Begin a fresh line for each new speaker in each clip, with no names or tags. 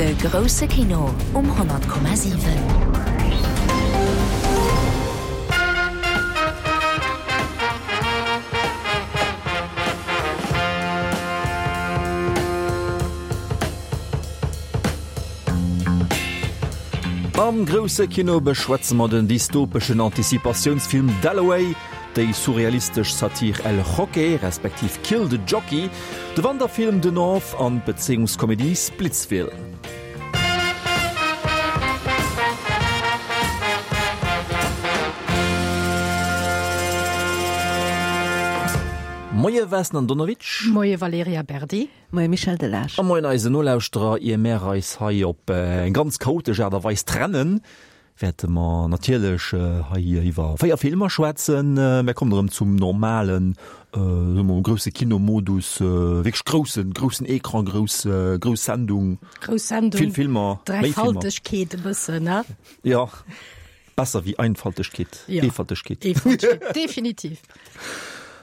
De grousse Kino um 100,7.
Am grousse Kino beschwätze mer den dystopeschen Anticipatiounsfilm Dalloway, déi surrealistesch Satir El Jockey respektiv Kill the Jockey, de Wanderfilm The North an d'Bezéiungskomedie Splitsville. Moie Vesna Andonovic.
Moie Valerija Berdi.
Moie Michel Delage.
A moien eisen Nolauschterer. Ier mär eis hei op eng ganz chaotesch Aart a Weis trennen, wäerte mer natierlech hei iwwer 4 Filmer schwätzen. Mär kommen erëm zum normalen, soe mer mol, grousse Kinomodus, wierklech groussen, groussen Ecran, grouss, grouss Sendung,
Grouss Sendung,
vill Filmer,
méi Filmer. Dräifaltegkeet e bëssen, ne?
Jo. Besser wéi Einfaltegkeet.
Ja.
Eefaltegkeet.
Eefaltegkeet, definitiv.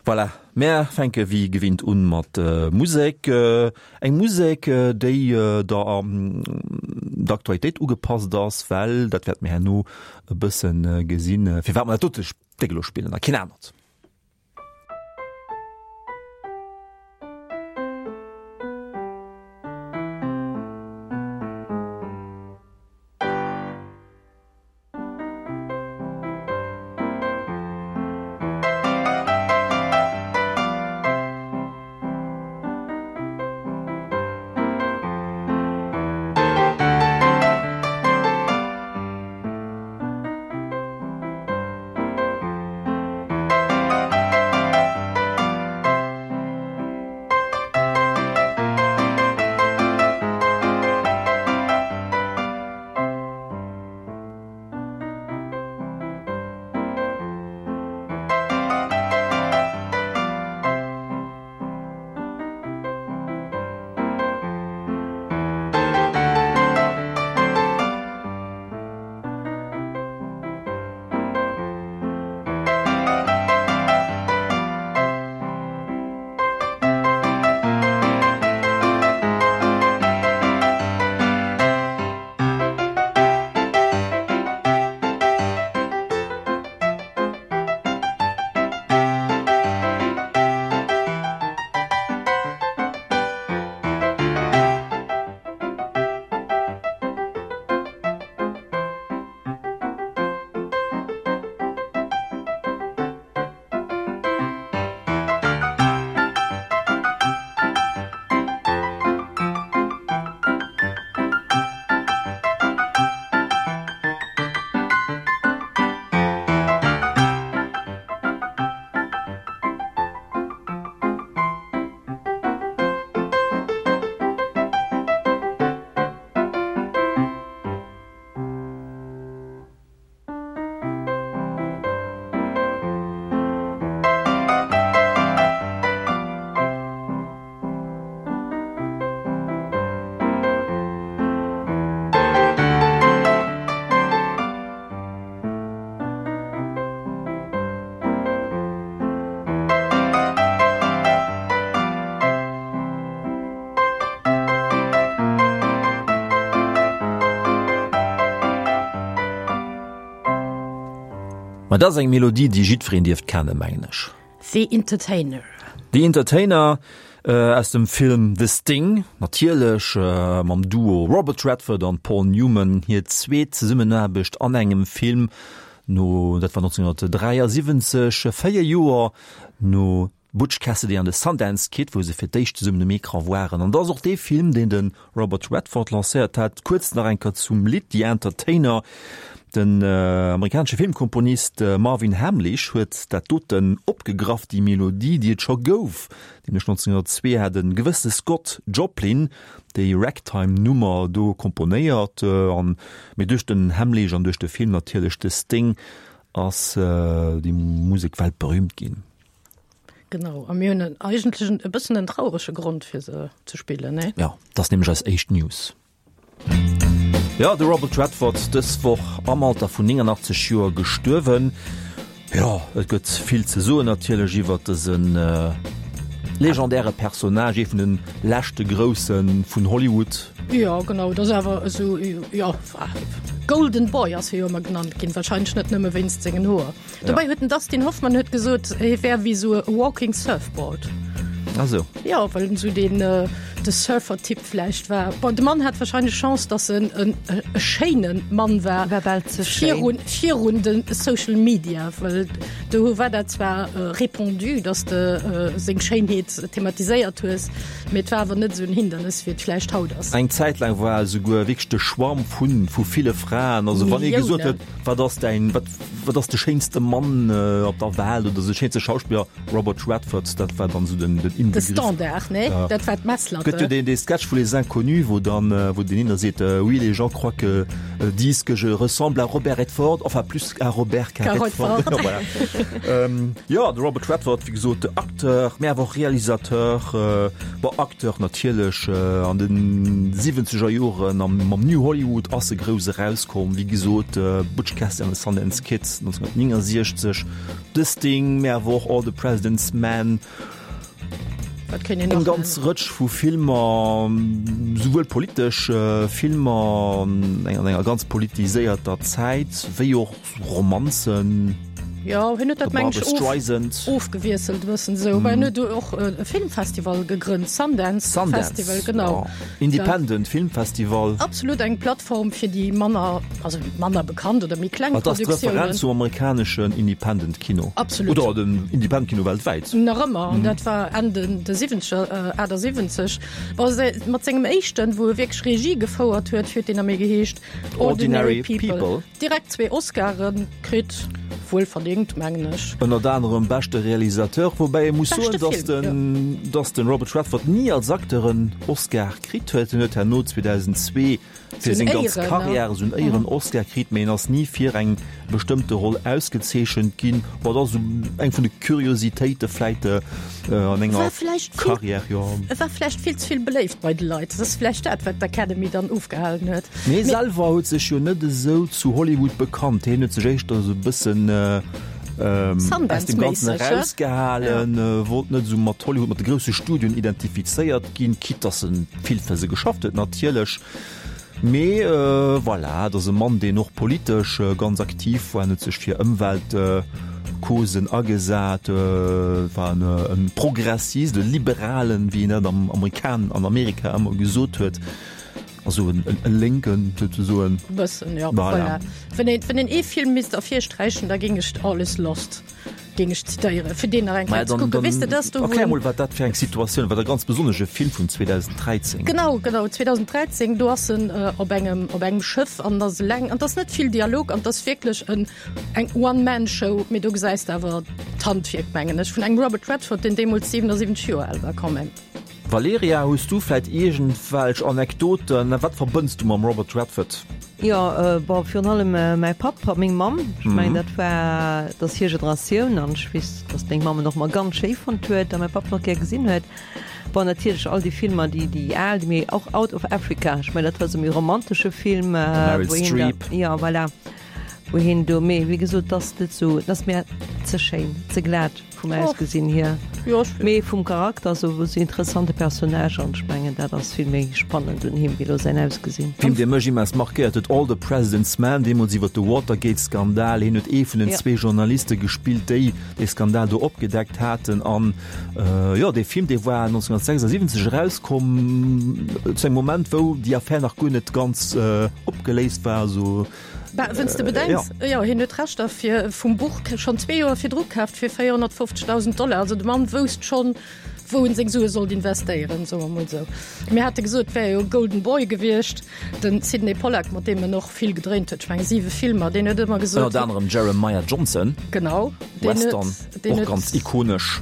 Voilà, mär fänke wéi gewinnt un mat Musek. Eng Musek, déi der der Aktualitéit ugepasst ass, well, dat wäerte mir herno e bësse gesinn, firwat mer dat dote Stéck elo spillen a keen anert. Ma dat ass eng Melodie, déi jiddwereen dierft kennen, mengen ech.
The Entertainer.
The Entertainer aus dem Film The Sting, natierlech mam Duo Robert Redford an Paul Newman, hir zweet Zesummenaarbecht an engem Film no, dat war 1973, 4 Joer no Butch Cassidy an the Sundance Kid, wou se fir d'éischt zesummen um Ecran waren. An dat ass och dee Film, deen de Robert Redford lancéiert hat. Kuerz nach eng Kéier zum Lidd The Entertainer. Den amerikanesche Filmkomponist Marvin Hamlisch huet dat doten opgegraff, déi Melodie, déi et scho gouf, nämlech 1902 hat e gewësse Scott Joplin déi Ragtime-Nummer do komponéiert. An, mee duerch den Hamlisch an duerch de Film natierlech The Sting ass déi Musek weltberüümt ginn.
Genau, a mir hunn eigentlech e bëssen en traurege Grond fir se ze spillen, nee?
Ja, dat ass nämlech eis éischt News. Jo, de Robert Redford, dës Woch am Alter vun 89 Joer gestuerwen. Jo, et gëtt vill ze soen natierlech iwwert dësen. Legendäre Personnage, ee vun de leschte Grousse vun Hollywood.
Jo, genau, et ass awer esou, jo, Golden Boy ass hie jo ëmmer genannt ginn, warscheinlech net nëmme wéinst sengen Hoer. Dobäi huet den Dustin Hoffmann huet gesot, hie wär wéi esou e walking surfboard.
Ah sou.
Jo, well en esou deen, de Surfer-Typ vläicht war. Bon, de Mann hat warscheinlech Chance, datt en en e schéine Mann war.
War bal ze schéin.
Virun, virun de Social Media, well do war dat zwar répandu, datt de seng Schéinheet thematiséiert hues, mee et war awer net esou en Hindernes, wéi et vläicht haut ass.
Eng Zäit laang war esouguer wierklech de Schwarm vu vu ville Fraen. Also wann ee gesot huet, wat ass däin, wat, wat ass de schéinste Mann op der Welt oder de schéinste Schauspiller, Robert Redford, dat war dann esou den den
Inbegriff. De Standard, nee? Ja. Dat war d'Messlatte.
Gëtt jo deen dee Sketch vu Les Inconnus, wou dann, wou deen een da seet, Oui, les gens croient que, disent que je ressemble à Robert Redford, enfin plus à Robert qu'à Redford. Redford. Voilà. Jo, de Robert Redford, wéi gesot, Acteur, mä awer och Realisateur, bon, Acteur natierlech, an de siwwenzeger Joren am mam New Hollywood ass e grouss erauskomm, wéi gesot, Butch Cassidy and the Sundance Kid 1969, The Sting, mä awer och All the President's Men.
Wat kéint een
Eng
nach
ganz
nennen?
Rëtsch vu Filmer, souwuel politesch Filmer an enger ganz politiséierter Zäit, wéi och Romanzen.
Jo, hien huet dat
Der
meng ech
Barbra
of,
Streisand.
ofgewiesselt e bëssen esou. Mä hien huet och e Filmfestival gegrënnt, Sundance
Sundance,
Festival, genau.
jo. Independent Filmfestival.
Absolut eng Plattform fir déi manner, also manner bekannt oder méi kleng
Et ass d'Referenz
Produktiounen.
zum amerikaneschen Independent Kino.
Absolut.
Oder dem Independent Kino weltwäit.
Nach ëmmer, an dat war Enn den de siwwenzeger, 78. Bon, se, mat sengem éischten, wou e wierklech Regie gefouert huet, huet deen amee geheescht
Ordinary
Ordinary People.
People.
Direkt zwee Oscaren kritt, wuel verdéngt, mengen ech.
Ënnert anerem beschte Realisateur, woubäi ee muss soen,
Beschte
dass
Film,
den,
jo.
dass den Robert Redford ni als Acteur en Oscar kritt huet. En huet herno 2002 fir
Sou
seng
en
ganz
Éieren, ne?
Karriär esou en Éieren-Oscar kritt, mee en ass ni fir eng bestëmmte Roll ausgezeechent ginn. Bon, dat ass esou eng vun de Kuriositéite vläit an enger
War vläicht vill,
Karriär, jo.
e war vläicht vill ze vill beléift bei de Leit. Dat ass vläicht dat, wat d'Academy dann ofgehalen huet.
Mee hie selwer huet sech jo net esou zu Hollywood bekannt. Hien huet sech éischter esou e bëssen aus dem Ganzen erausgehalen, wollt net esou mat Hollywood, mat de grousse Studioen identifizéiert ginn, quitte dass e vill fir se geschafft huet natierlech. Mee voilà, et ass e Mann, deen och politesch ganz aktiv war. En huet sech fir Ëmweltcausen agesat, war e Progressist, e Liberalen, wéi een dat am Amerikan, an Amerika ëmmer gesot huet. Also en Lénken souzesoen.
Bëssen, jo, voilà. Wann een, wann een ee Film misst ervirsträichen, da géing ech All Is Lost géing ech zitéieren, fir deen nach eng
Maja,
Kéier ze
dann,
kucken.
dann
Weess de, dat ass do, wou
erklär
en.
mol, wat dat fir eng Situatioun war, dat ganz besonnesche Film vun 2013.
Genau, genau, 2013, do ass en op engem, op engem Schëff an ass eleng an 't ass net vill Dialog an 't ass wierklech en, eng One-Man-Show, mee do gesäis de awer d'Handwierk, mengen ech, vun engem Robert Redford, deen deemools 77 Joer al war, quand même.
Valerija, hues du vläit iergendwelch Anekdoten? Wat verbënns du mam Robert Redford?
Jo, bon, virun allem mäi Papp a meng Mamm. Ech mengen, dat war, dat ass hir Generatioun an ech weess, datt meng Mamm en och ëmmer ganz schéi fonnt huet a mäi Papp en och gär gesinn huet. Bon, natierlech all déi Filmer, déi, déi al, déi méi, och Out of Africa, ech mengen, dat war esou méi romantesche Film,
Meryl
wou hien da,
Streep.
jo, voilà, wou hien do, mee wéi gesot, dat ass net esou, dat ass mir ze schéin, ze glat. Vum Ausgesinn hier, mee vum Charakter esou e interessante Personnage an ech mengen dat ass vill méi spannend un him wéi lo säin Ausgesinn.
Film dee mech immens markéiert huet, All the President's Men, deemools iwwer de Watergate-Skandal. Hien huet ee vun den zwee Journaliste gespillt, déi dee Skandal do opgedeckt haten. An jo, dee Film, dee war 1976 erauskomm, zu engem Moment, wou déi Affär nach guer net ganz opgeléist war. Also
Bah, wenn's de bedenks, ja. Jo, hien huet d'Rechter fir vum Buch schonn zwee Joer virdru kaaft fir 450.000 Dollar. Also de Mann wousst schonn, wou en seng Sue sollt investéieren, soe mer mol esou. Mir hate gesot, et wär jo e Golden Boy gewiescht, den Sydney Pollack, mat deem en och vill gedréint huet, ech menge siwe Filmer, deen huet ëmmer gesot.
Ënnert anerem Jeremiah Johnson.
Genau, deen huet,
Western,
deen
och
huet.
ganz ikonesch.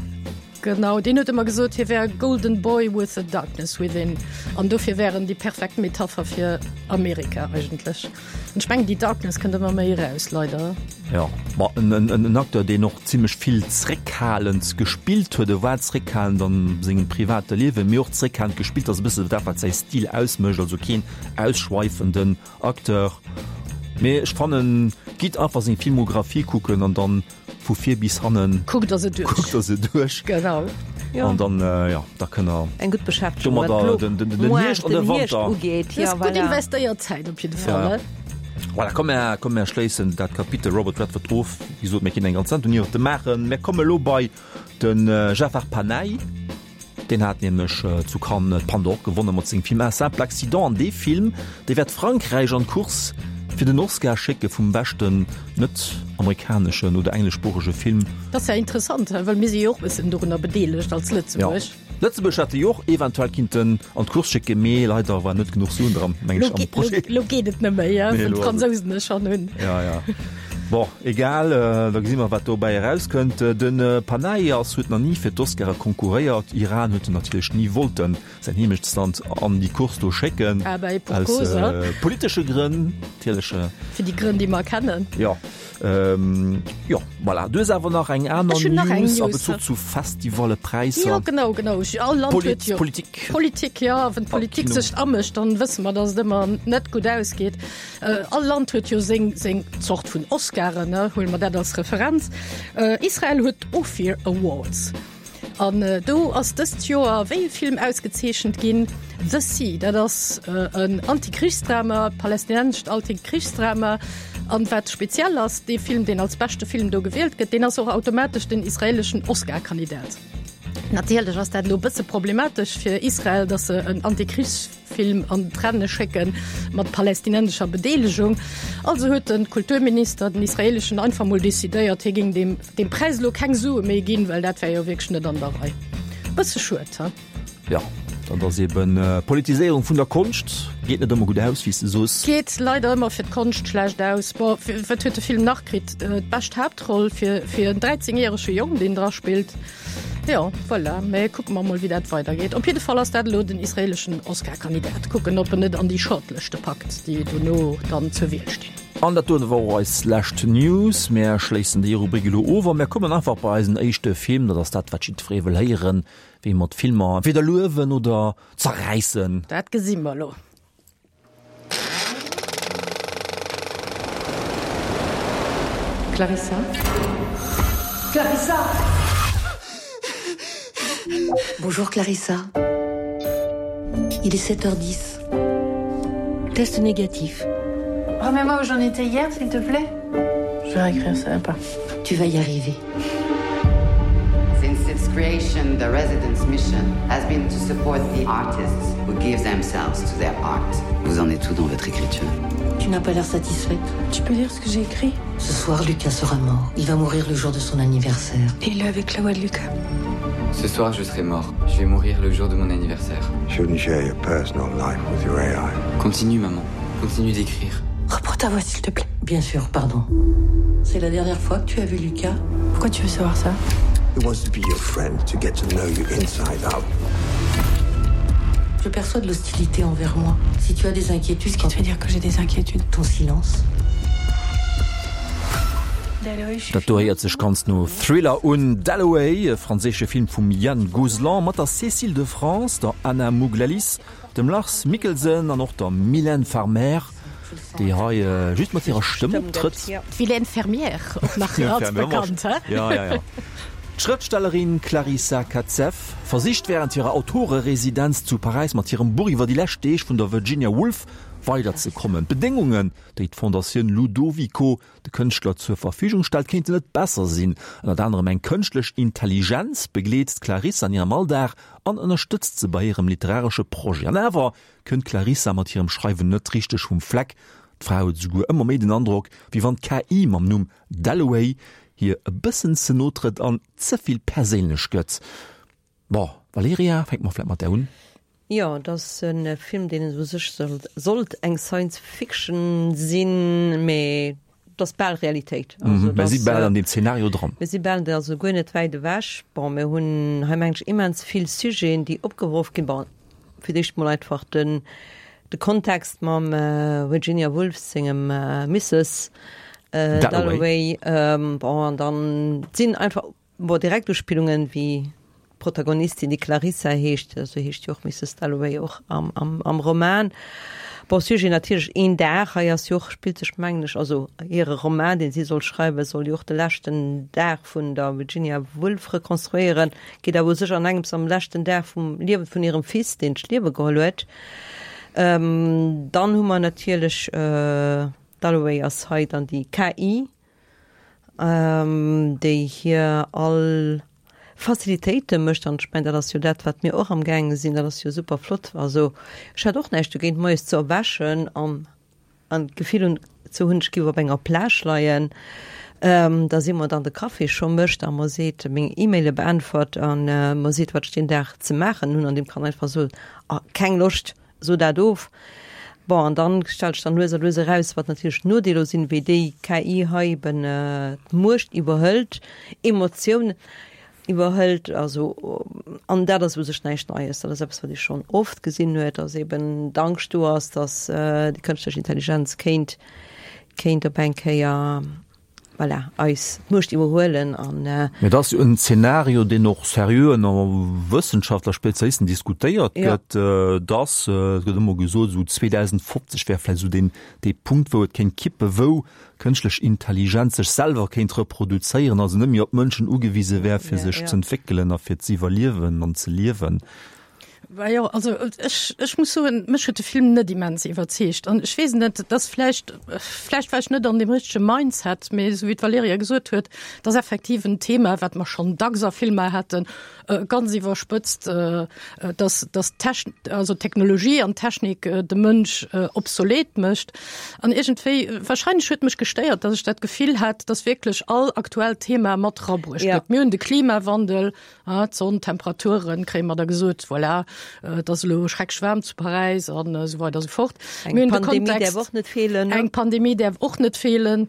Genau, deen huet ëmmer gesot, hie wär e golden boy with a darkness within. An dofir wär en déi perfekt Metapher fir Amerika eigentlech. An ech mengen, déi Darkness kënnt ëmmer méi eraus, leider.
Jo, ma en Acteur, deen och zimmlech vill zréckhalend gespillt huet. E war zréckhalend a sengem private Liewen, mee och zréckhalend gespillt ass e bësse dat, wat säi Stil ausmécht, also keen ausschweifenden Acteur. Mee ech fannen, gitt einfach seng Filmographie kucken an dann Vu vir bis hannen.
Kuckt der se duerch.
Kuckt der se duerch.
Genau.
An dann, jo, da kënne mer.
Eng gutt Beschäftegung,
wat elo den, den, den Hierscht an de Wanter
ugeet.
Ja, voilà. Gutt investéiert Zäit op jidde Fall.
Ja. Voilà, komm, mär, komm, mär schléissen dat Kapitel Robert Redford of. Wéi gesot, mir kéinten eng ganz Sendung iwwert e maachen. Mär komme lo bei den Jafar Panahi. Deen hat nämlech zu Cannes d'Palme d'Or gewonne mat sengem Film Un simple accident. An dee Film, dee wäert Frankräich an d'Course fir den Oscar schécke vum beschten net-amerikaneschen oder engleschsproochege Film.
Dat ass ja interessant, well mir si jo och e bëssen dorunner bedeelegt als Lëtzebuerg.
Jo, Lëtzebuerg hätt jo och eventuell kinnten an d'Course schécken, mee leider war net genuch Suen dran, meng ech, am Projet.
Lo geet et net méi, well d'Fransousen e schonn hunn.
Ja, ja. Bon, egal, da gesi mer, wat dobäi erauskënnt. De Panahi ass huet nach ni fir d'Oscare konkurréiert. Iran huet en natierlech ni wollten, säin Heemechtsland, an déi Course do schécken.
Ah ben, et pour cause,
Aus politesche Grënn natierlech.
Fir déi Grënn, déi mer kennen.
Jo, jo, voilà. Du hues awer nach eng aner
Ech hunn nach eng
News a
News.
Bezuch zu Festivalle, Präisser.
Jo, genau, genau. All Land huet jo.
Politik.
Politik, jo. Wann d'Politik sech amëscht, dann wësse mer, datt et ëmmer net gutt ausgeet. All Land huet jo seng seng Zort vun Oscaren, ne, huele mer dat als Referenz. Israel huet d'Ophir Awards. An do ass dëst Joer wéi e Film ausgezeechent ginn? The Sea. Dat ass en Antikrichsdrama, palästinensescht Altikrichsdrama. An wat speziell ass, dee Film, deen als beschte Film do gewielt gëtt, deen ass och automatesch den israeleschen Oscar-Kandidat. Natierlech ass dat elo e bësse problematesch fir Israel, datt se en Antikrichs Film an d'Renne schécke mat palästinensescher Bedeelegung. Also huet de Kulturminister, den israeleschen, einfach mol decidéiert, hie géing deem deem Präis elo keng Sue méi ginn, well dat wär jo wierklech net an der Rei. Bësse schued, he?
Jo, dat ass eben Politiséierung vun der Konscht. Geet net ëmmer gutt aus, wéi s de soos.
Geet leider ëmmer fir d'Konscht schlecht aus. Bon, wat huet de Film nach kritt? D'bescht Haaptroll fir fir en 13 järege Jong, deen dra spillt. Jo, voilà. Mee kucke mer mol, wéi dat weidergeet. Op jidde Fall ass dat elo den israeleschen Oscar-Kandidat. Kucken, ob en et an déi Shortlëschte packt, déi dono dann zur Wiel stinn.
An dat dote war och eis lescht News. Mär schléissen déi Rubrik elo of a mär kommen einfach bei eisen éischte Film. Dat ass dat, wat jiddweree wëll héieren, wéi mer d'Filmer entweder luewen oder zerräissen.
Dat gesi mer elo.
Clarissa Clarissa
Bonjour Clarissa. Il est 7h10. Test négatif.
Remets-moi où j'en étais hier, s'il te plaît. Je vais réécrire ça pas.
Tu vas y arriver.
Since its creation, the residence mission has been to support the artists who give themselves to their art. Vous en êtes tout dans votre écriture.
Tu n'as pas l'air satisfaite.
Tu peux dire ce que j'ai écrit
Ce soir, Lucas sera mort. Il va mourir le jour de son anniversaire.
Et il est avec la voix de Lucas.
Ce soir, je serai mort. Je vais mourir le jour de mon anniversaire.
Shouldn't share your personal life with your AI.
Continue, maman. Continue d'écrire.
Reprends ta voix, s'il te plaît.
Bien sûr, pardon. C'est la dernière fois que tu as vu Lucas
Pourquoi tu veux savoir ça
He wants to be your friend to get to know you inside out.
Je perçois de l'hostilité envers moi. Si tu as des inquiétudes,
ce qui te fait dire que j'ai des inquiétudes
ton silence.
Dat do héiert sech ganz no Thriller un. Dalloway, e franséische Film vum Yann Gozlan mat der Cécile de France, der Anna Mouglalis, dem Lars Mikkelsen an och der Mylène Farmer, déi hei just mat hirer Stëmm optrëtt.
D'Mylène Fermière, och nach als bekannt, he?
Ja, ja, ja. D'Schrëftstellerin Clarissa Katzeff versicht wärend hirer Autoreresidenz zu Paräis mat hirem Buch iwwer déi lescht Deeg vun der Virginia Woolf weiderzekommen. D'Bedéngungen, déi d'Fondatioun Ludovico de Kënschtler zur Verfügung stellt, kéinten net besser sinn. Ënnert anerem eng kënschtlech Intelligenz begleet d'Clarissa an hirem Alldag an ënnerstëtzt se bei hirem literaresche Projet. An awer kënnt d'Clarissa mat hirem Schreiwen net richteg vum Fleck. D'Fra huet esouguer ëmmer méi den Androck, wéi wann d'KI mam Numm Dalloway hir e bëssen ze no trëtt an ze vill perséinlech gëtt. Bon, Valerija, fänke mer vläit mat där un.
Jo, et ass e Film, deen u sech sollt eng Science Fiction sinn, mee et ass bal Realitéit.
Also, mir si bal an deem Zeenario dran.
Mir si bal, also guer net wäit ewech. Bon, mir hunn hei, mengen ech, immens vill Sujeten, déi opgeworf ginn. Bon, fir d'éischt mol einfach den, de Kontext mam Virginia Woolf sengem Misses Dalloway. Bon, an dann sinn einfach Bon, direkt Uspillungen wéi d'Protagonistin, déi Clarissa heescht, esou heescht jo och Misses Dalloway och am, am, am Roman. Bon, Sujet natierlech een Dag, hei ass jo och, spillt sech mengen ech, also hire Roman, deen si soll schreiwen, soll jo och de leschten Dag vun der Virginia Woolf rekonstruéieren, geet awer u sech an engems am leschten Dag vum Liewen vun hirem Fils, deen d'Liewe geholl huet. Dann hu mer natierlech, Dalloway ass hei dann déi KI, déi hir all Facilitéite mécht. An ech mengen, dat ass jo dat, wat mir och amgaange sinn. Dat ass jo super flott. Also ech hätt och näischt dogéint, moies ze erwächen an an d'Gefill hunn ze hunn, ech géif op enger Plage leien, da si mer dann de Café scho mécht a mer seet, meng E-Maile beäntwert a mer seet, wat ech deen Dag ze maachen hunn. An deem kann einfach soen, Ah, keng Loscht, So dat of. Bon, an dann stellt sech dann lues a lues eraus, wat natierlech d'Nodeeler sinn, wéi déi KI hei eben d'Muecht iwwerhëlt, Emotiounen iwwerhëlt. Also, an dat ass u sech näischt Neies, dat ass eppes, wat ee schonn oft gesinn huet, dass eben d'Angscht do ass, dass déi kënschtlech Intelligenz kéint, kéint op eng Kéier, voilà, eis d'Muecht iwwerhuelen an.
Mee dat ass jo en Zeenario, deen och seriö ënner Wëssenschaftler, Spezialisten diskutéiert gëtt, dass, et gëtt ëmmer gesot, esou 2050 wär vläicht esou deen, dee Punkt, wou et kéint kippen, wou kënschtlech Intelligenz sech selwer kéint reproduzéieren, also net méi op d'Mënschen ugewise wär, fir sech z'entwéckelen a fir z'iwwerliewen an ze liewen.
Bah jo, also ech, ech muss soen, mech huet de Film net immens iwwerzeegt. An ech weess net, et ass vläicht, vläicht war ech net an deem richtege Mindset, mee esou wéi d'Valerija gesot huet, et ass effektiv en Thema, wat mer schonn dacks a Filmer haten, ganz iwwerspëtzt, dass, dass d'Techn-, also d'Technologie an d'Technik de Mënsch obsolet mécht. An iergendwéi, wahrscheinlech huet mech gestéiert, dass ech dat Gefill hat, dass wierklech all aktuellt Thema mat erabruecht gëtt. Mir hunn de Klimawandel, Ah, d'Sonn, d'Temperaturen, kréie mer da gesot, voilà, et ass elo schrecklech waarm zu Paräis an esou weider esou fort.
Eng Mir hunn de Pandemie däerf och net feelen,
ne? Eng Pandemie däerf och net feelen.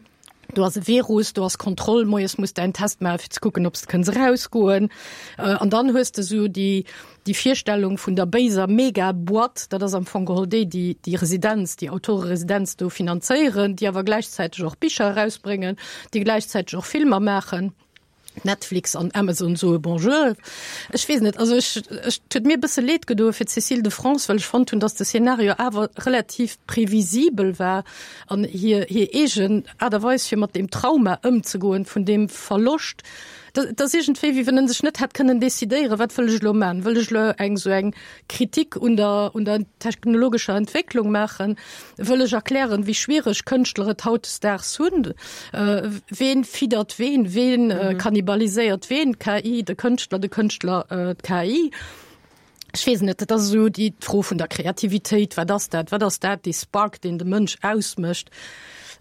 Do ass e Virus, do ass Kontroll, moies muss däin Test maachen, fir ze kucken, ob s de kënns erausgoen. An dann hues de esou déi, déi Virstellung vun der béiser Mega-Boîte, dat ass am Fong geholl déi, déi déi Residenz, déi Autoreresidenz do finanzéieren, déi awer gläichzäiteg och Bicher erausbréngen, déi gläichzäiteg och Filmer maachen. Netflix an Amazon soe Bonjour. Ech weess net, also ech, ech, et huet mir e bësse leed gedoe fir d'Cécile de France, well ech fonnt hunn, datt de Szenario awer relativ previsibel war an hir, hir eegen Aart a Weis, fir mat deem Trauma ëmzegoen, vun deem Verloscht, dat, dat ass iergendwéi, wéi wann en sech net hätt kënnen decidéieren, wat wëll ech elo man? Wëll ech elo eng esou eng Kritik un der, un der technologescher Entwécklung maachen, wëll ech erklären, wéi schwiereg Kënschtler et hautdesdaags hunn. Ween fiddert ween, ween kannibaliséiert ween, d'KI de Kënschtler, de Kënschtler d'KI? Ech weess net, dat ass esou déi d'Fro vun der Kreativitéit, wat ass dat, wat ass dat, dee Spark, deen de Mënsch ausmécht?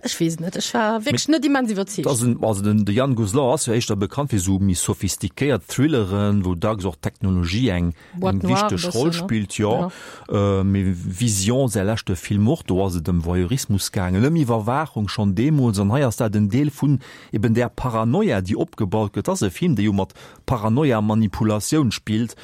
Ech weess net, ech war wierklech net immens iwwerzeegt.
Also den de Yann Gozlan ass jo éischter bekannt fir esou méi sophistiquéiert Thrilleren, wou dacks och d'Technologie eng eng wichteg Roll spillt, jo. Mee Vision, säi leschte Film och, do ass et ëm Voyeurismus gaangen, ëm Iwwerwaachung schonn deemools. An hei ass dat en Deel vun eben där Paranoia, déi opgebaut gëtt. Et ass e Film, dee jo mat Paranoia a Manipulatioun spillt.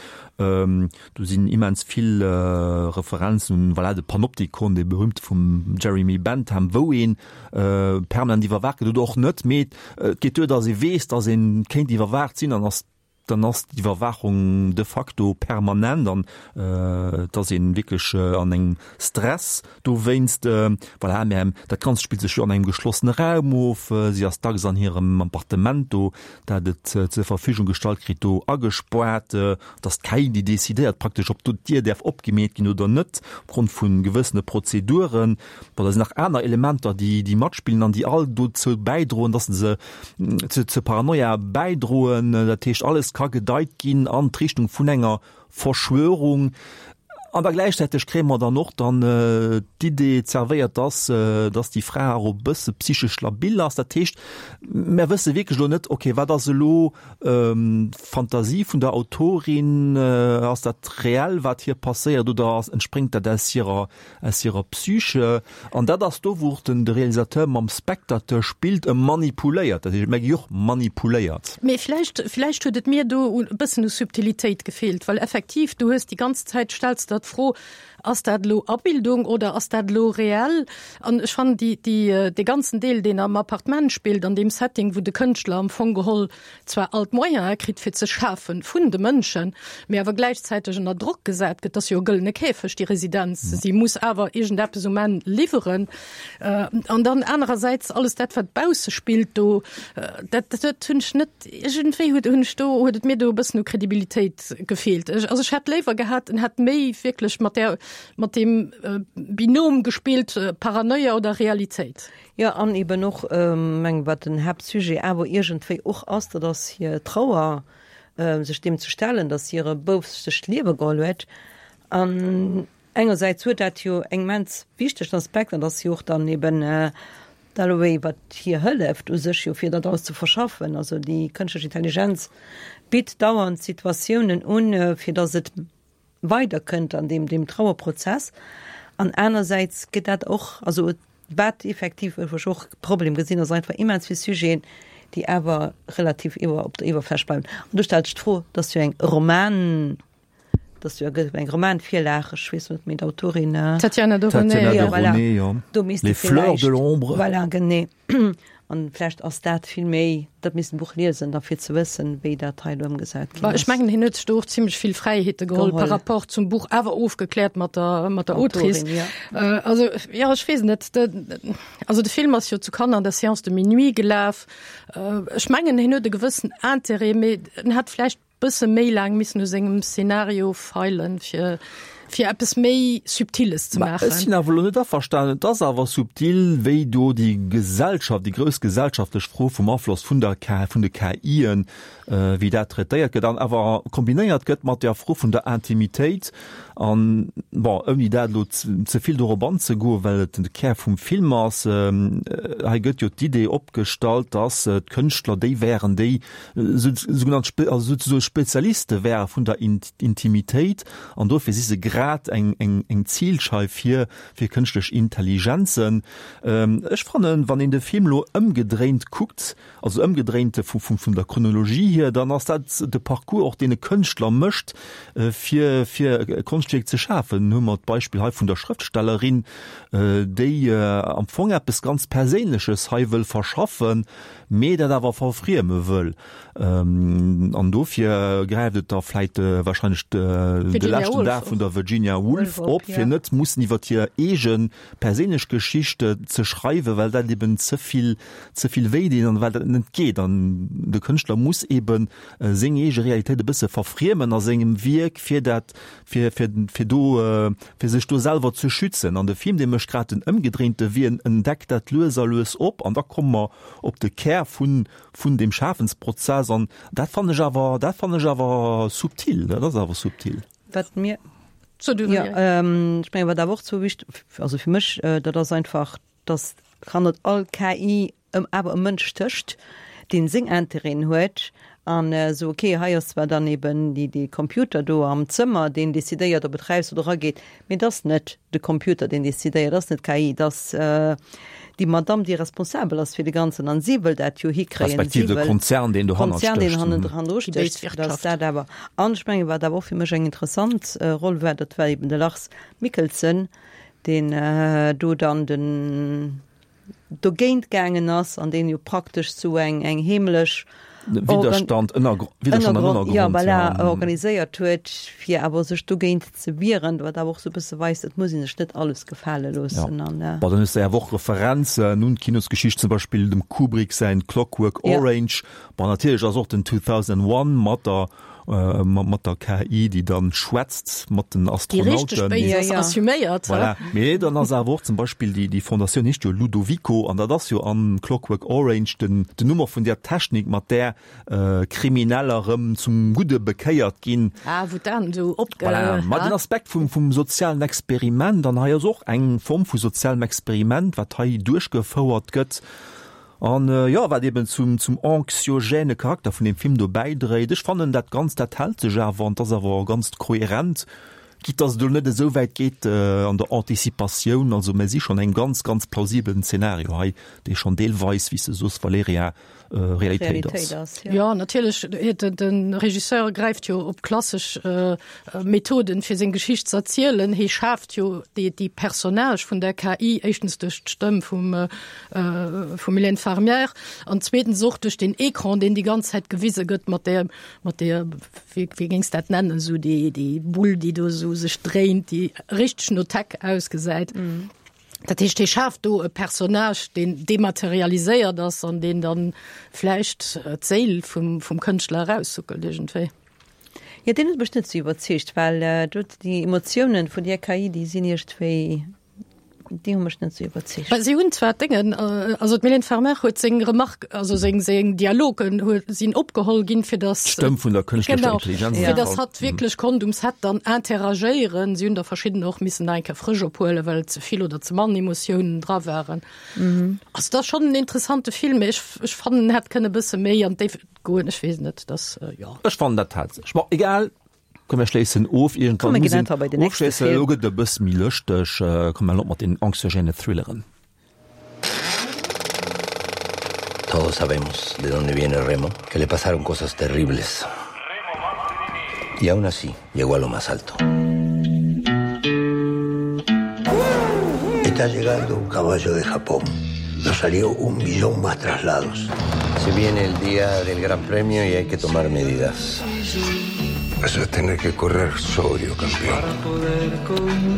Do sinn immens vill Referenzen un, voilà, de Panopticon, dee berühmte vum Jeremy Bentham, wou ee permanent iwwerwaacht gëtt oder och net. Mee et geet duer, datt ee weess, datt ee kéint iwwerwaacht sinn, an ass dann ass d'Iwwerwaachung de facto permanent an et ass ee wierklech an engem Stress dowéinst. Voilà, mä dat Ganzt spillt sech jo an engem geschlossene Raum of. Si ass dacks an hirem Appartement do, dat et zur Verfügung gestallt kritt, do agespaart. Et ass d'KI, déi decidéiert praktesch, ob do d'Dier däerf opgemeet ginn oder net, opgrond vu gewëssene Prozeduren. Bon, da sinn nach aner Elementer, déi, déi matspillen an déi all dozou bäidroen, dass se zur Paranoia bäidroen. Dat heescht, alles ka gedeit ginn an d'Richtung vun enger Verschwörung. An da gläichzäiteg kréie mer dann och dann d'Idee zerwéiert, dass, dass déi Fra och e bësse psychesch labil ass. Dat heescht, mer wësse wierklech elo net, okay, wat ass elo d'Fantasie vun der Autorin, ass dat reell, wat hir passéiert, oder ass, entspréngt dat aus hirer aus hirer Psyche. An dat ass do, wou och den de Realisateur mam Spectateur spillt, e manipuléiert. Dat heescht, mer gi och manipuléiert.
Mee vläicht, vläicht huet et mir do e bëssen u Subtilitéit gefeelt, well effektiv, du hues déi ganz Zäit, stells der. d'Fro, Ass dat elo Abildung oder ass dat elo reell? An ech fannen déi, déi, dee ganzen Deel, deen am Appartement spillt, an deem Setting, wou de Kënschtler am Fong geholl zwar all d'Moyene kritt fir ze schafen vun de Mënschen, mee awer gläichzäiteg ënner Drock gesat gëtt, dat ass jo e gëllene Käfeg, déi Residenz, si muss awer iergendeppes um Enn liwweren. An dann anerersäits alles dat, wat bausse spillt do, dat, dat hunn ech net, iergendwéi huet, hunn ech do, huet et mir do e bëssen u Kredibilitéit gefeelt. Ech, also ech hätt léiwer gehat, en hätt méi wierklech mat där, mat deem Binom gespillt, Paranoia oder Realitéit.
Jo, an eben och, meng, wat den Haaptsujet awer iergendwéi och ass, dat ass hir Trauer, sech deem ze stellen, datt hire Bouf sech d'Liewe geholl huet. An engersäits huet dat jo eng immens wichtegen Aspekt, an dat ass jo och dann eben d'Dalloway, wat hir hëlleft u sech jo fir dat alles ze verschaffen. Also déi kënschtlech Intelligenz bitt dauernd Situatiounen un, fir datt et weider kënnt an deem deem Trauerprozess an anersäits gëtt dat och, also wat effektiv wou ech och Problem gesinn ass einfach immens vill Sujeten, déi awer relativ iwwer op der Iwwerfläch bleiwen. An do stellt sech d'Fro, et ass jo eng Roman, et ass jo eng Romanvirlag, ech weess net méi d'Autorin.
Tatiana de Rosnay.
Tatiana de Rosnay, jo.
Do misst
Les fleurs de l'ombre.
Voilà, genee. An vläicht ass dat vill méi, dat misst en Buch liesen, da fir ze wëssen, wéi dat hei elo ëmgesat ginn ass.
Ech mengen, hien huet sech do och zimlech vill Fräiheete geholl par rapport zum Buch, awer ofgekläert mat der, mat der Autrice. Also, jo, ech weess net. Also de Film ass jo zu Cannes an der Séance de minuit gelaf. Ech mengen, hien huet e gewëssen Intérêt, mee en hätt vläicht Bësse méi laang missen u sengem Szenario feilen, fir fir eppes méi Subtiles ze maachen.
Ech sinn awer elo net averstanen. Et ass awer subtil, wéi do déi Gesellschaft, déi grouss gesellschaftlech Fro vum Afloss vun der K, vun de KIen, wéi dat traitéiert gëtt an awer kombinéiert gëtt mat der Fro vun der Intimitéit. An, bon, ouni dat elo ze vill dorop anzegoen, well et de Kär vum Film ass, hei gëtt jo d'Idee opgestallt, dass d'Kënschtler déi wären, déi sougenannt also souzesoe Spezialiste wäre vun der Intimitéit an dofir si se grad eng eng eng Zilscheif fir fir kënschtlech Intelligenzen. Ech fannen, wann een de Film elo ëmgedréint kuckt, also ëmgedréint vu vun vun der Chronologie hier, dann ass dat de Parcours och deen e Kënschtler mécht fir fir e Konschtwierk ze schafen. Hu mer d'Beispill hei vun der Schrëftstellerin, déi am Fong eppes ganz Perséinleches hei wëll verschaffen, mee dat awer verfrieme wëll. An dofir gräift et da vläit wahrscheinlech de leschten Dag vun der Virginia Woolf op, fir net mussen iwwer hir eege perséinlech Geschicht ze schreiwen, well dat eben ze vill, ze vill wéi deet an well dat net geet. An de Kënschtler muss eben seng eege Realitéit e bësse verfriemen a sengem Wierk, fir dat, fir, fir, fir do, fir sech do selwer ze schützen. An de Film, dee mécht grad den ëmgedréinte Wee, en entdeckt dat lues a lues op an da komme mer op de Kär vun, vun deem Schafensprozess an dat fannen ech awer, dat fannen ech awer subtil, dat ass awer subtil.
Wat mir, jo, ech mengen, wat awer och zwou wichteg, also fir mech, dat ass einfach, dass hannert all KI ëm awer e Mënsch stécht, dee seng Intérêten huet an esou, ok, hei ass zwar dann eben déi, dee Computer do am Zëmmer, deen decidéiert, ob et raus oder erageet, mee et ass net de Computer, deen decidéiert, et ass net d'KI, et ass déi Madamm, déi responsabel ass fir de Ganzen an si wëll dat jo hikréien.
Respektiv de Konzern, deen dohannert
stécht. Konzern, deen hannendru stécht, dass dat awer. An ech mengen, wat awer och fir mech eng interessant Roll war, dat war eben de Lars Mikkelsen, deen do dann den dogéint gaangen ass an deen jo praktesch sou eng eng heemlech
Widderstand, Ënnergrond, Widderstand am Ënnergrond,
ja, voilà, organiséiert huet, fir awer sech dogéint ze wieren, wat awer och sou e bësse weist, et muss ee sech net alles gefale loossen.
Ja. An, Bon, dann hues de awer och Referenzen un d'Kinosgeschicht, zum Beispill dem Kubrick säin Clockwork Orange. Bon, natierlech ass och den 2001 mat der mat der KI, déi dann schwätzt mat den Astronauten.
Déi richteg Béis ass assuméiert.
Voilà. Mee dann ass awer och zum Beispill déi, déi Fondatioun heescht jo Ludovico an dat ass jo am Clockwork Orange den, den Nummer vun där Technik, mat där Krimineller erëm zum Gudde bekéiert ginn.
Ah, wou d'Aen esou
opge. Voilà. Ma den Aspekt vum, vum sozialen Experiment, an hei ass och eng Form vu sozialem Experiment, wat hei duerchgefouert gëtt. An jo, wat eben zum zum anxiogène Charakter vun deem Film do bäidréit. Ech fannen dat Ganzt, dat hält sech awer an 't ass awer ganz kohärent. Quitte dass et elo net esou wäit geet an der Anticipatioun, also mer si schonn engem ganz, ganz plausibelen Zeenario hei, dee schonn deelweis, wéi s de soos, Valerija, Realitéit ass.
Jo, natierlech, de Regisseur gräift jo op klassesch Methoden, fir seng Geschicht ze erzielen. Hie schaaft jo déi Personnage vun der KI, éischtens duerch d'Stëmm vum vum Mylène Farmer an zweetens och duerch den Ecran, deen déi ganz Zäit gewise gëtt mat där, mat där, wéi wéi géings dat nennen, esou déi déi Bull, déi do esou sech dréint, déi richteg no Tech ausgesäit. Dat heescht, hie schaaft do e Personnage, deen dematerialiséiert ass an deen dann vläicht d'Séil vum vum Kënschtler eraussuckelt iergendwéi.
Jo, deen huet mech net sou iwwerzeegt, well do déi Emotiounen vun där KI, déi sinn iergendwéi. Déi hu mech net sou iwwerzeegt.
Well si hunn zwar d'Déngen, also d'Mylène Farmer huet seng Remarque, also seng, seng Dialogen huet, sinn opgeholl ginn, fir datt.
D'Stëmm vun der kënschtlecher
Intelligenz. Genau, fir datt hatt wierklech konnt um Set dann interagéieren. Si hunn der verschidden och missen nach eng Kéier frësch ophuelen, well ze vill oder ze mann Emotiounen dra waren. Also et ass schonn en interessante Film, mee ech, ech fannen, en hätt kënne e bësse méi an d'Déift goen. Ech weess net, dass, jo.
Ech fannen, dat hat sech. Bon, egal. Komm mir schléissen of,
iergendwann muss een
ofschléissen. Elo gëtt et e bësse méi lëschteg. Komm mir halen op mat den anxiogène Thrilleren.
Todos sabemos de dónde viene Remo, que le pasaron cosas terribles. Y aún así llegó a lo más alto.
Está llegando un caballo de Japón. Nos salió un millón más traslados.
Se viene el día del Gran Premio y hay que tomar medidas.
Eso es tener que correr sobrio, campeón.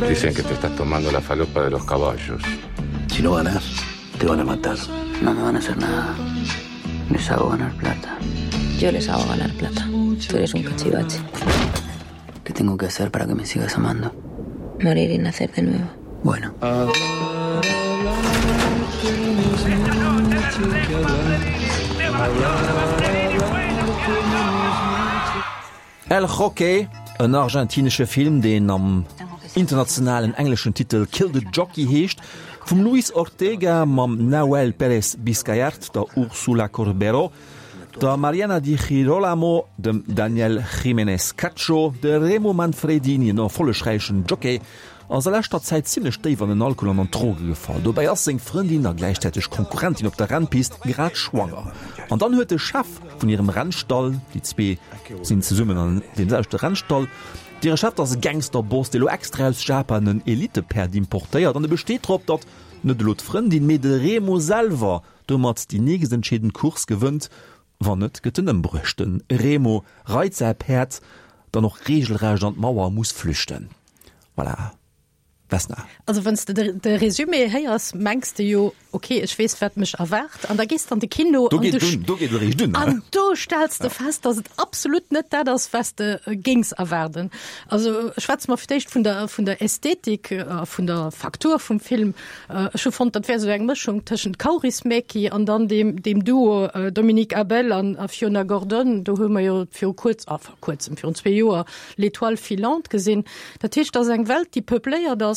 Dicen que te estás tomando la falopa de los caballos.
Si no ganas, te van a matar.
No me van a hacer nada. Les hago ganar plata.
Yo les hago ganar plata. Tú eres un cachivache.
¿Qué tengo que hacer para que me sigas amando?
Morir y nacer de nuevo.
Bueno.
El Jockey, en argentinesche Film, deen am internationalen engleschen Titel Kill the Jockey heescht, vum Luis Ortega mam Nahuel Pérez Biscayart, der Úrsula Corberó, der Mariana Di Girolamo, dem Daniel Giménez Cacho, de Remo Manfredini, en erfollegräichen Jockey, ass a leschter Zäit zimmlech déif an den Alkohol an an d'Droge gefall. Dobäi ass seng Frëndin a gläichzäiteg Konkurrentin op der Rennpist grad schwanger. An dann huet de Chef vun hirem Rennstall, déi zwee sinn zesummen an deem selwechte Rennstall, hire Chef ass e Gangsterboss, dee lo extra aus Japan en Elitepäerd importéiert an e besteet drop, datt net elo d'Frëndin, mee de Remo selwer domat déi nächst entscheedend Course gewënnt. Wann net, gëtt en ëmbruecht. De Remo reit säi Päerd dann och reegelrecht an d'Mauer a muss flüchten. Voilà. Vesna.
Also wann s de de Résumé héiers, mengs de jo, ok, ech weess wat mech erwaart. An da gees de an de Kino
Do geet et un, do geet et eréischt un.
An do stells de fest, datt et absolut net dat ass, wat s de géings erwaarden. Also schwätze mer fir d'éischt vun der, vun der Ästhetik a vun der Faktur vum Film. Ech hu fonnt, dat wär esou eng Mëschung tëschent Kaurismäki an dann deem, deem Duo Dominique Abel an a Fiona Gordon. Do hu mer jo viru kuerz, enfin kuerzem, virun zwee Joer, L'Étoile filante gesinn. Dat heescht, dat ass eng Welt, déi peupléiert ass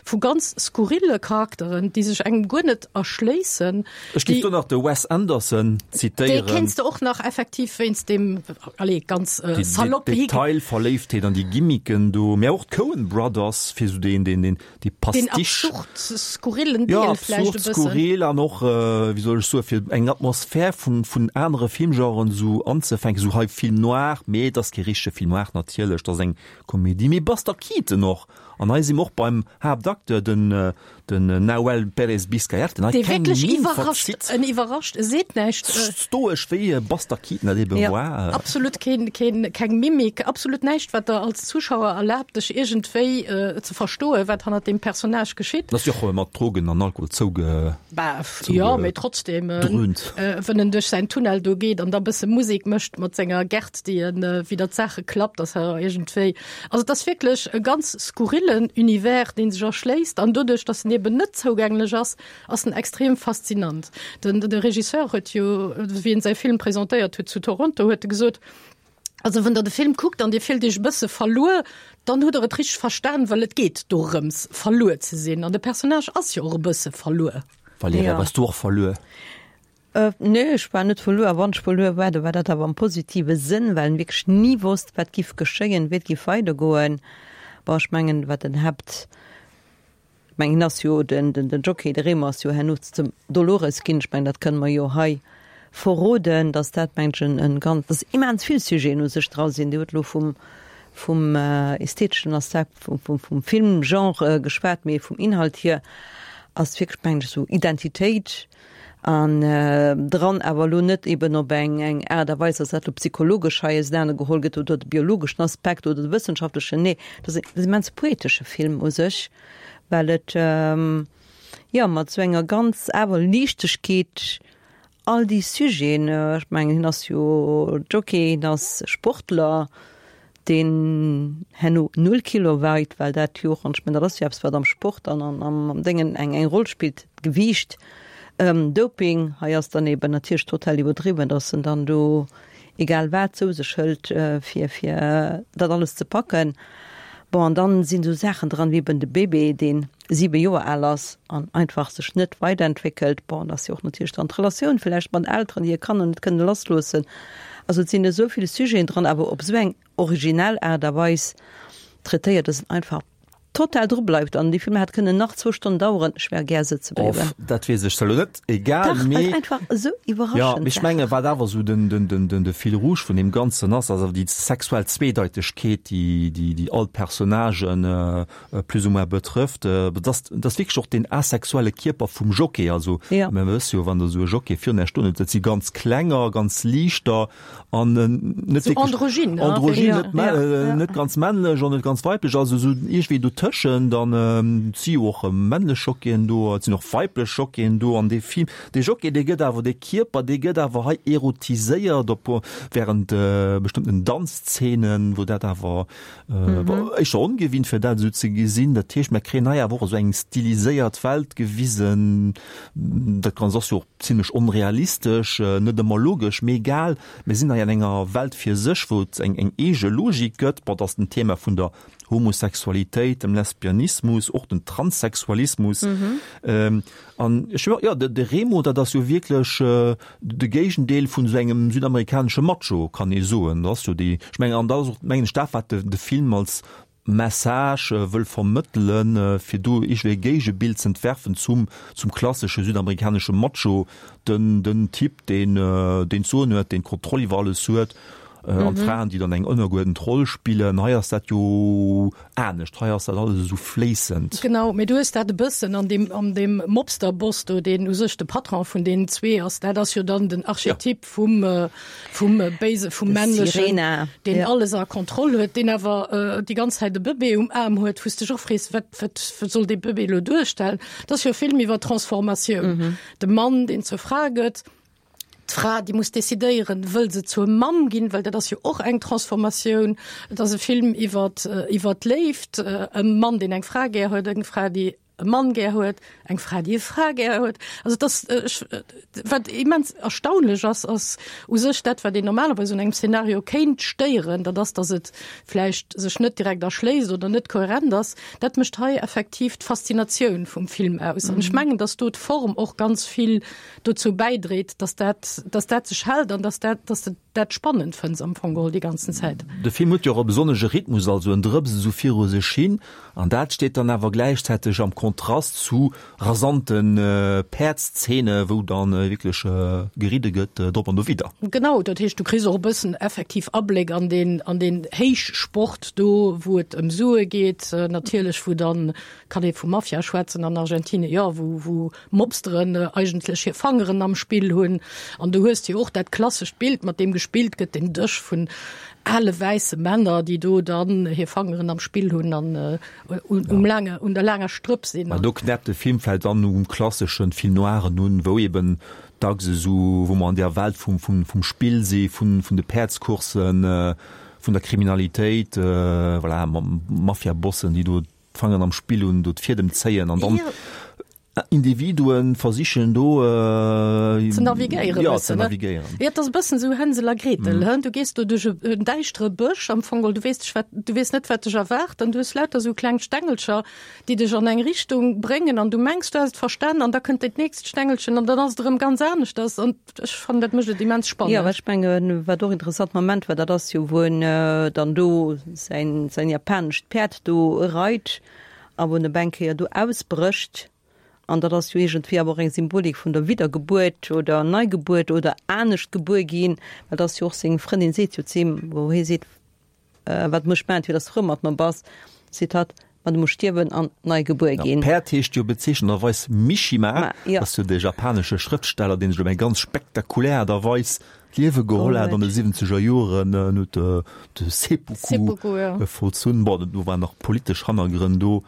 vu ganz skurrille Charakteren, déi sech engem guer net erschléissen.
Ech géif do nach de Wes Anderson zitéieren.
Dee kéints de och nach effektiv wéinst deem, allez, ganz salopp.
Déi Detailverléiftheet an déi Gimmicken do, mä och d'Coen Brothers, fir esou deen, deen, deen, Déi
Pastiche. Deen absurd skurrillen
Deel vläicht e bëssen. Jo, absurd skurril an och, wéi soll ech soen, fir eng Atmosphär vun, vun anere Filmgenren esou anzefänken, esou hei Film noir, mee et ass kee richtege Film noir natierlech, et ass eng Komedie, mee Buster Keaton och. An hei si mer och beim Haaptacteur, den, den Nahuel Pérez Biscayart,
deen hei keng Minn verzitt. En iwwerrascht, e seet näischt.
Stoesch wéi Buster Keaton dat ebe war.
Absolut keen, keen, keng Mimik, absolut näischt, wat der als Zuschauer erlaabt, dech iergendwéi ze verstoen, wat hannert deem Personnage geschitt.
Ass jo och mat Drogen an Alkohol zouge.
Bah, jo, mee trotzdem, wën en duerch säin Tunnel do geet an da bësse Musek mécht mat senger Gert, déi en widder d'Saache klappt, ass awer iergendwéi, also et ass wierklech e ganz skurrillen Univers, dee sech erschléisst an doduerch, datt en eben net zougänglech ass, ass en extrem faszinant. Den de Regisseur huet jo, wéi en säi Film presentéiert huet zu Toronto, huet e gesot, Also wann der de Film kuckt an Dir fillt Iech e bësse verluer, dann hutt der et richteg verstan, well et geet dorëms verluer ze sinn an de Personnage ass jo och e bësse verluer.
Valerija, waars du och verluer?
Nee, ech war net verluer. A wann ech verluer war, da war dat awer am positive Sënn, well en wierklech ni wosst, wat giff geschéien, wéi et giff weidergoen. Bon, ech mengen, wat den Haapt, ech mengen, hien ass jo den, den, den Jockey, de Remo ass jo herno zum Dolores ginn. Ech mengen, dat kënne mer jo hei verroden, dass dat, mengen ech, en, en ganz, dass immens vill Sujeten u sech dra sinn. Dir hutt elo vum, vum ästheteschen Aspekt, vum, vum, vum Filmgenre geschwat, mee vum Inhalt hier ass wierklech, mengen ech, esou Identitéit, An dran, awer elo net eben op eng eng Aart a Weis, dass dat elo psychologesch hei ausenaner geholl gëtt oder de biologeschen Aspekt oder de wëssenschaftlechen, nee, dat ass en immens poetesche Film u sech, well et, jo, mat esou enger ganz awer Liichtegkeet all déi Sujeten, ech mengen, hien ass jo Jockey, hien ass Sportler, deen herno null Kilo weit, well dat jo och, an ech mengen, dat ass jo eppes, wat am Sport an am Déngen eng eng Roll spillt, d'Gewiicht, Doping, hei ass dann eben natierlech total iwwerdriwwen, datt en dann do egal wat zou sech hëlt, fir fir dat alles ze packen. Bon, an dann sinn esou Saachen dran, wéi eben de Bébé, dee siwe Joer al ass an einfach sech net weiderentwéckelt. Bon, dat ass jo och natierlech dann d'Relatioun villäicht mat Elteren, déi hir Kanner net kënne lassloossen. Also et sinn esou vill Sujeten dran, awer op esou eng originell Aart a Weis traitéiert, dass en einfach total dru bleift. An dee Film hätt kënnen nach zwou Stonnen daueren, ech wär gär sëtze bliwwen.
Off, dat weess ech zwar elo net, egal,
Dach,
mee.
einfach esou
Jo,
iwwerraschend
mee ech menge wat awer esou den, den, den, den, de Fil rouge vun deem Ganzen ass, ass awer déi sexuell Zweedeitegkeet, déi, déi, déi all d'Personnagen plus ou moins betrëfft. Dat ass, dat ass wierklech och deen asexuelle Kierper vum Jockey. Also mir wësse jo, wann Der esou e Jockey virun Iech stoen hutt, dat si ganz klenger, ganz liichter an net
Sou
wierklech
androgyn, ne?
androgyn,
Ja.
net mä net ganz männlech an net ganz weiblech, also esou iergendwéi dotëschent. An et si jo och männlech Jockeyen do, et sinn och weiblech Jockeyen do. An dee Film, dee Jockey, dee gëtt awer, dee Kierper, dee gëtt awer hei erotiséiert op während bestëmmten Danzzeenen, wou dat awer Éischter ongewinnt fir dat esou ze gesinn. Dat heescht, mer kréien hei awer och esou eng stiliséiert Welt gewisen. Dat Ganzt ass jo och zimlech onrealistesch, net ëmmer logesch, mee egal, mir sinn hei an enger Welt fir sech, wou et eng eng eege Logik gëtt. Bon, et ass den Thema vun der Homosexualitéit, dem Lesbianismus, och den Transsexualismus. An ech, jo, de Remo, dat ass jo wierklech de Géigendeel vun esou engem südamerikanesche Macho, kann ee soen. Dat ass jo déi, ech mengen, an dat ass och, mengen ech, dat, wat de de Film als Message wëll vermëttelen, fir do iergendwéi e Géigebild z'entwerfen zum zum klassesche südamerikanesche Macho, den den Typ, deen deen d'Soen huet, deen d'Kontroll iwwer alles huet, an d'Fraen, déi dann eng ënnergeuerdent Roll spillen. Hei ass dat jo anescht, hei ass dat alles esou fléissend.
Genau, mee du hues dat e bëssen an deem, an deem Mobster-Boss do, deen u sech de Patron vun deenen zwee ass, dat ass jo dann den Archetyp vum, vum Béise, vum Männlechen, deen alles a Kontroll huet, deen awer déi ganz Zäit e Bëbee um Aarm huet, wou s dech och frees, wat, wat, wat soll dee Bëbee elo duerstellen? Dat ass jo e Film iwwer Transformatioun, de Mann, deen zur Fra gëtt, D'Fra, déi muss decidéieren, wëll se zur Mamm ginn, well dat ass jo och eng Transformatioun. Et ass e Film iwwer iwwer d'Léift, e Mann, deen eng Fra gär huet, eng Fra, déi e Mann gär huet, eng Fra, déi e Fra gär huet. Also et ass, ech, wat immens erstaunlech ass, ass u sech dat, wat een normalerweis un engem Szenario kéint stéieren, dat ass, datt et vläicht sech net direkt erschléisst oder net kohärent ass. Dat mécht hei effektiv d'Faszinatioun vum Film aus. An ech mengen, datt do d'Form och ganz vill dozou bäidréit, dass dat, dass dat sech hält an dass dat, dass de dat spannend fënns am Fong geholl déi ganzen Zäit.
De Film huet jo och e besonnesche Rhythmus, also en drëpst esou viru sech hin an dat steet dann awer gläichzäiteg am Kontrast zu rasante Päerdszene, wou dann wierklech geridde gëtt drop an dowidder.
Genau, dat heescht, du kriss och e bëssen effektiv Abléck an deen, an deen Héichsport do, wou et ëm Sue geet natierlech, wou dann, kann ee vu Mafia schwätzen an Argentinien, jo, wou, wou Mobsteren eigentlech hir Fangeren am Spill hunn. An du hues jo och dat klassescht Bild, mat deem gespillt gëtt, den Dësch vun ale wäisse Männer, déi do dann hir Fangeren am Spill hunn an um laange, un der laanger Strëpp sinn.
Mä do knäppt de Film vläicht dann um klasseschen Film noiren un, wou eben dacks esou, wou mer an där Welt vum, vum, vum Spill si, vun, vun de Päerdscoursen, vun der Kriminalitéit, voilà, Mafiabossen, déi do d'Fangeren am Spill hunn, do d'Fiedem zéien an dann. Individuen versichen do
ze navigéieren.
Ja, ze navigéieren.
Jo, et ass e bëssen esou Hänsel a Gretel, hë? Du gees do duerch en däischtere Bësch am Fong, du weess dech wat, du weess net, wat dech erwaart an du hues lauter esou kleng Stengelcher, déi dech an eng Richtung bréngen an du mengs, du häss et verstan an da kënnt dat nächst Stengelchen an dann ass et erëm ganz aneschters an ech fannen, dat mécht et immens spannend.
Jo, ech mengen, wat och interessant Moment war, dat ass jo, wou en dann do säin, säin japanescht Päerd do reit a wou en op eng Kéier do ausbrécht, an dat ass jo iergendwéi awer och eng Symbolik vun der Widdergebuert oder Neigebuert oder anescht gebuer ginn, well dat ass jo och seng Frëndin seet jo zu him, wou hie seet, Wat muss ech maachen, fir datt s de frou mat mer bass? seet hatt, Ma du muss stierwen an nei gebuer ginn.
Päerd heescht jo bezeechnenderweis Mishima, dat ass jo dee japanesche Schrëftsteller, deen sech op eng ganz spektakulär Aart a Weis D'Liewe geholl hat an de siwwenzeger Joren, en huet de Seppuku vollzunn. Bon, do waren nach politesch Hannergrënn do.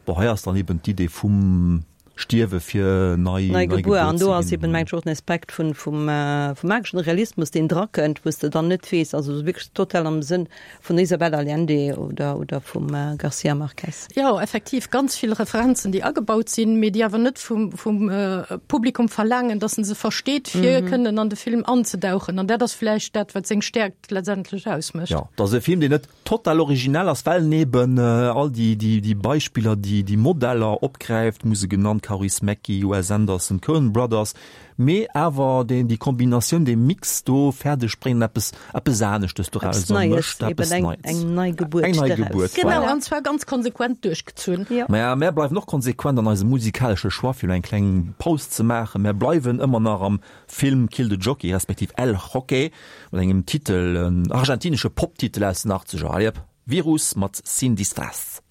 Bon, hei ass dann eben d'Idee vum Stierwe fir nei
gebuer ze ginn. An do ass eben, mengen ech, och den Aspekt vum mageschen Realismus, deen drakënnt, wou s de dann net weess, also wierklech total am Sënn vun der Isabel Allende oder oder vum Garcia Marquez.
Jo, effektiv ganz vill Referenzen, déi agebaut sinn, mee déi awer net vum vum Publikum verlaangen, dass en se versteet, fir kënnen an de Film anzedauchen. An dat ass vläicht dat, wat seng Stäerkt letztendlech ausmécht.
Jo, et ass e Film, deen net total originell ass, well en eben all déi déi déi Beispiller, déi déi Modeller opgräift, muss e genannt, Kaurismäki, Wes Anderson, Coen Brothers, Mee awer deen, déi Kombinatioun, dee Mix do fäerdeg bréngen, eppes, eppes aneschtes
doraus Eppes Neies, mécht, eppes eben eng, Neits. eng nei Gebuert
Eng nei doraus. Gebuert,
Genau, voilà. an zwar ganz konsequent duerchgezunn.
Jo. Maja, mär bleiwen och konsequent an eisem musikalesche Choix, fir elo eng kleng Paus ze maachen. Mär bleiwen ëmmer nach am Film Kill the Jockey, respektiv El Jockey, mat engem Titel, en argentinesche Pop-Titel aus den Achtzeger. Allez hop, Virus mat Sin Disfraz.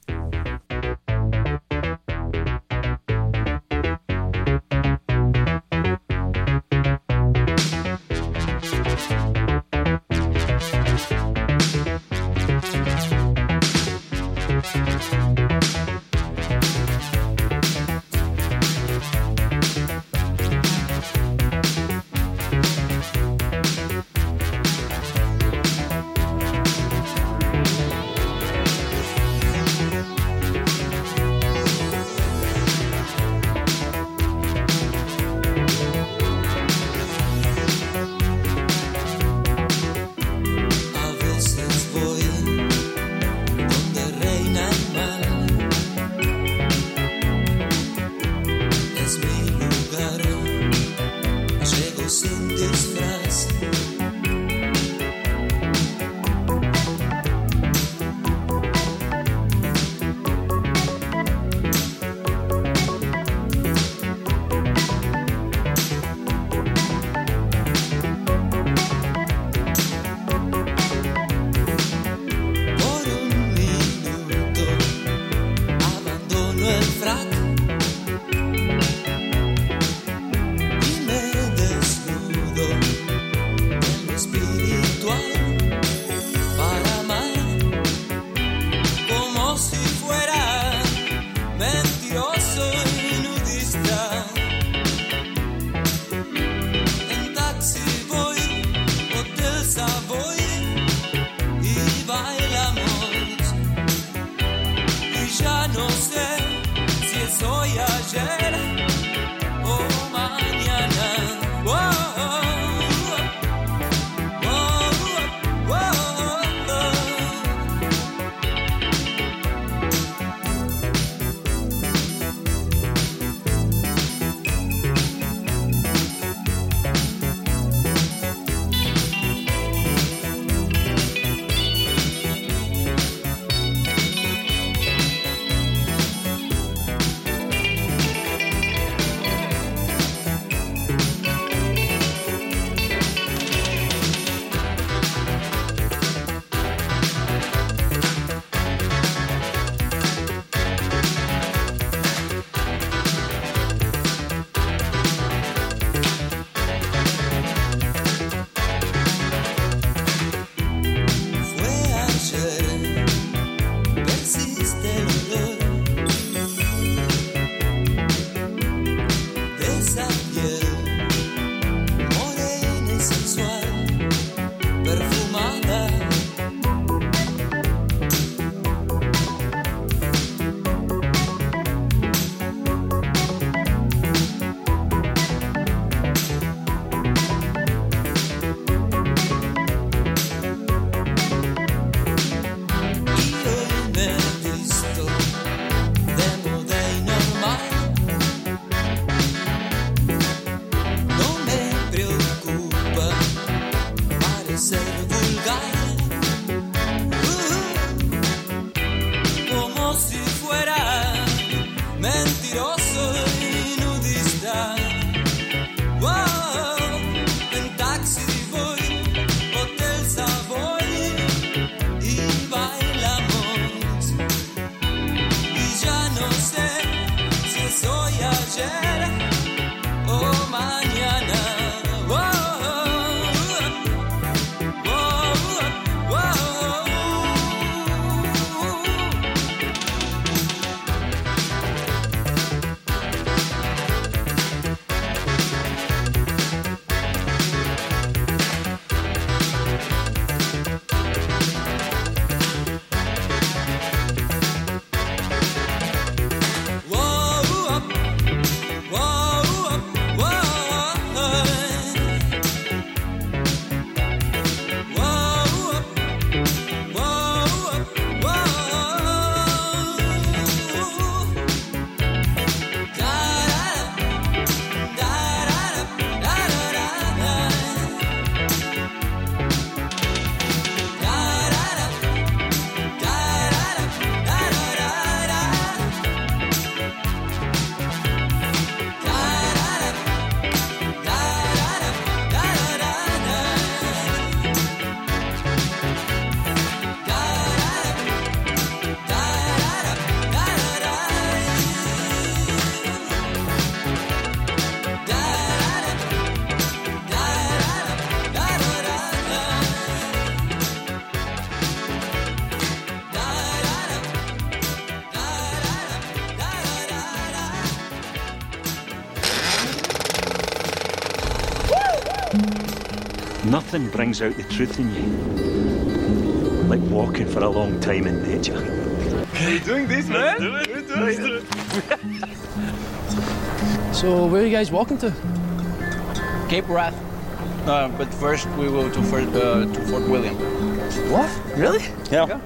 Nothing brings out the truth in you like walking for a long time in nature.
We're doing this, man.
Let's do it. We're doing it.
So where are you guys walking to?
Cape Wrath. Uh, but first we will to Fort, uh, to Fort William.
What? Really?
Yeah.
yeah.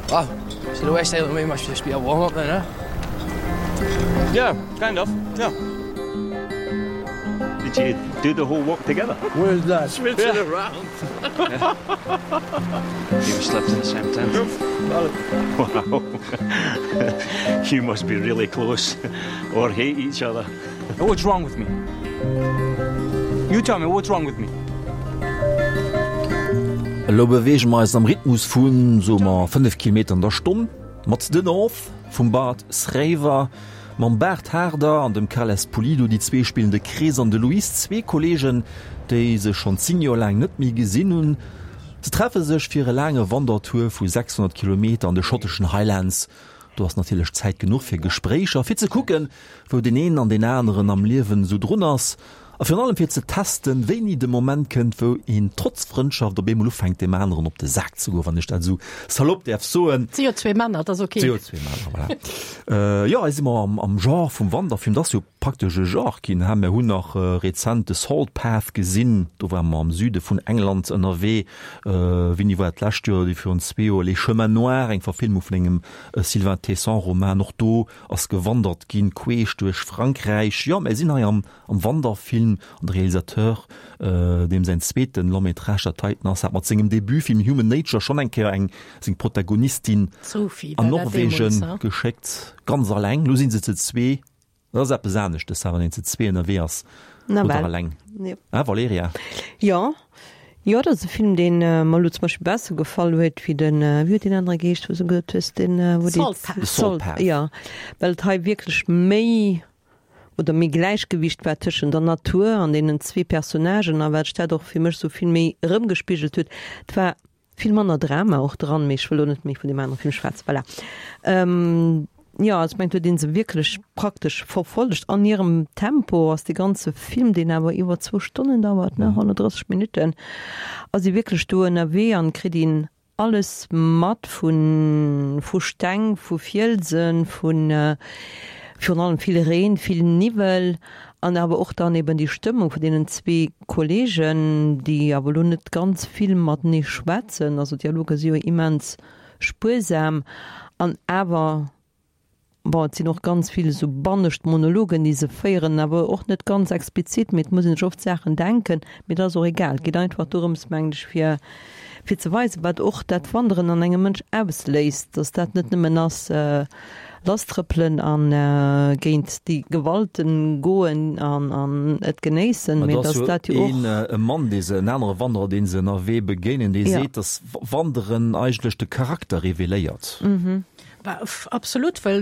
Wow. So the West Island way must just be a warm-up then, huh?
Yeah, kind of. Yeah. Did you do the whole walk together?
Where's that?
Switch yeah. it around.
yeah.
You slept in the same tent.
Wow. you must be really close or hate each other.
What's wrong with me? You tell me what's wrong with me.
Elo beweege mer eis am Rhythmus vun, soe mer, 5 Kilometer an der Stonn mat The North vum Bart Schrijver, mam Bart Haarder an dem Carles Pulido. Déi zwee spillen de Chris an de Luis, zwee Kolleegen, déi sech schonn 10 Joer laang net méi gesinn hunn. Se treffe sech fir e laange Wandertour vu 600 Kilometer an de schotteschen Highlands. Do ass natierlech Zäit genuch fir Gespréicher, fir ze kucken, wou deen een an deen aneren am Liewen esou drun ass a virun allem fir ze testen, wéini de Moment kënnt, wou een trotz Frëndschaft op eemol ufänkt, deem aneren op de Sak ze goen, wann ech dat esou salopp däerf soen.
Et si jo zwee Männer, et ass ok.
Et si jo zwee Männer, voilà. Jo, hei si mer am Genre vum Wanderfilm. Dat ass jo praktesch e Genre ginn, ha. Mir hunn nach rezent The Salt Path gesinn, do ware mer am Süde vun England ënnerwee. Wéini war dat? D'lescht Joer oder virun zwee Joer, Les Chemins Noirs, eng Verfilmung vun engem Sylvain Tesson-Roman. Och do ass gewandert ginn, queesch duerch Frankräich. Jo, mir sinn hei am am Wanderfilm an de Realisateur, deem säin zweeten Long métrage dat heiten ass, hat mat sengem Debutfilm Human Nature schonn eng Kéier eng seng Protagonistin
Sophie
an
war dat
Norwegen
deemools, ha?
geschéckt, ganz alleng. Lo si se ze zwee. Dat ass eppes aneschtes, wann een ze zwee ënnerwee ass
Na
oder
well.
alleng.
Jo.
Hein, Valerija?
Jo. Jo, dat ass e Film, deen mer elo zum Beispill besser gefall huet wéi den, wéi huet deen anere geheescht, wou s du gesot hues, deen, wou déi.
Salt Path.
The Salt Path.
Jo, well et hei wierklech méi oder méi Gläichgewicht war tëschent der Natur an deenen zwee Personnagen a wat sech dat och fir mech esou vill méi erëmgespigelt huet. Et war vill manner Drama och dran, mee ech wëll elo net méi vun deem anere Film schwätzen. Voilà. Jo, also ech mengen, do huet ee se wierklech praktesch verfollegt an hirem Tempo ass dee ganze Film, deen awer iwwer zwou Stonnen dauert, ne, 130 Minutten, ass ee wierklech do ënnerwee an kritt een alles mat vu vu Steng, vu Fielsen, vu virun allem vill Reen, vill Niwwel an awer och dann eben déi Stëmmung vun deenen zwee Kollegen, déi awer elo net ganz vill matenee schwätzen, also d'Dialoger si jo immens spuersam an awer, bon, et sinn och ganz vill esou bannescht Monologen, déi se féieren, awer och net ganz explizit, mee et muss een sech oft Saachen denken, mee dat ass och egal. Et geet einfach dorëms, mengen ech, fir fir ze weisen, wat och dat Wanderen an engem Mënsch ausléist, dass dat net nëmmen ass, lasstrëppelen a géint déi Gewalten goen an an et genéissen,
Ma
mee
do ass
dass
jo
dat jo och.
een e Mann, dee se, en anere Wanderer, dee se ënnerwee begéinen, dee
Ja.
seet, dass Wanderen eigentlech de Charakter reveléiert.
Absolut, well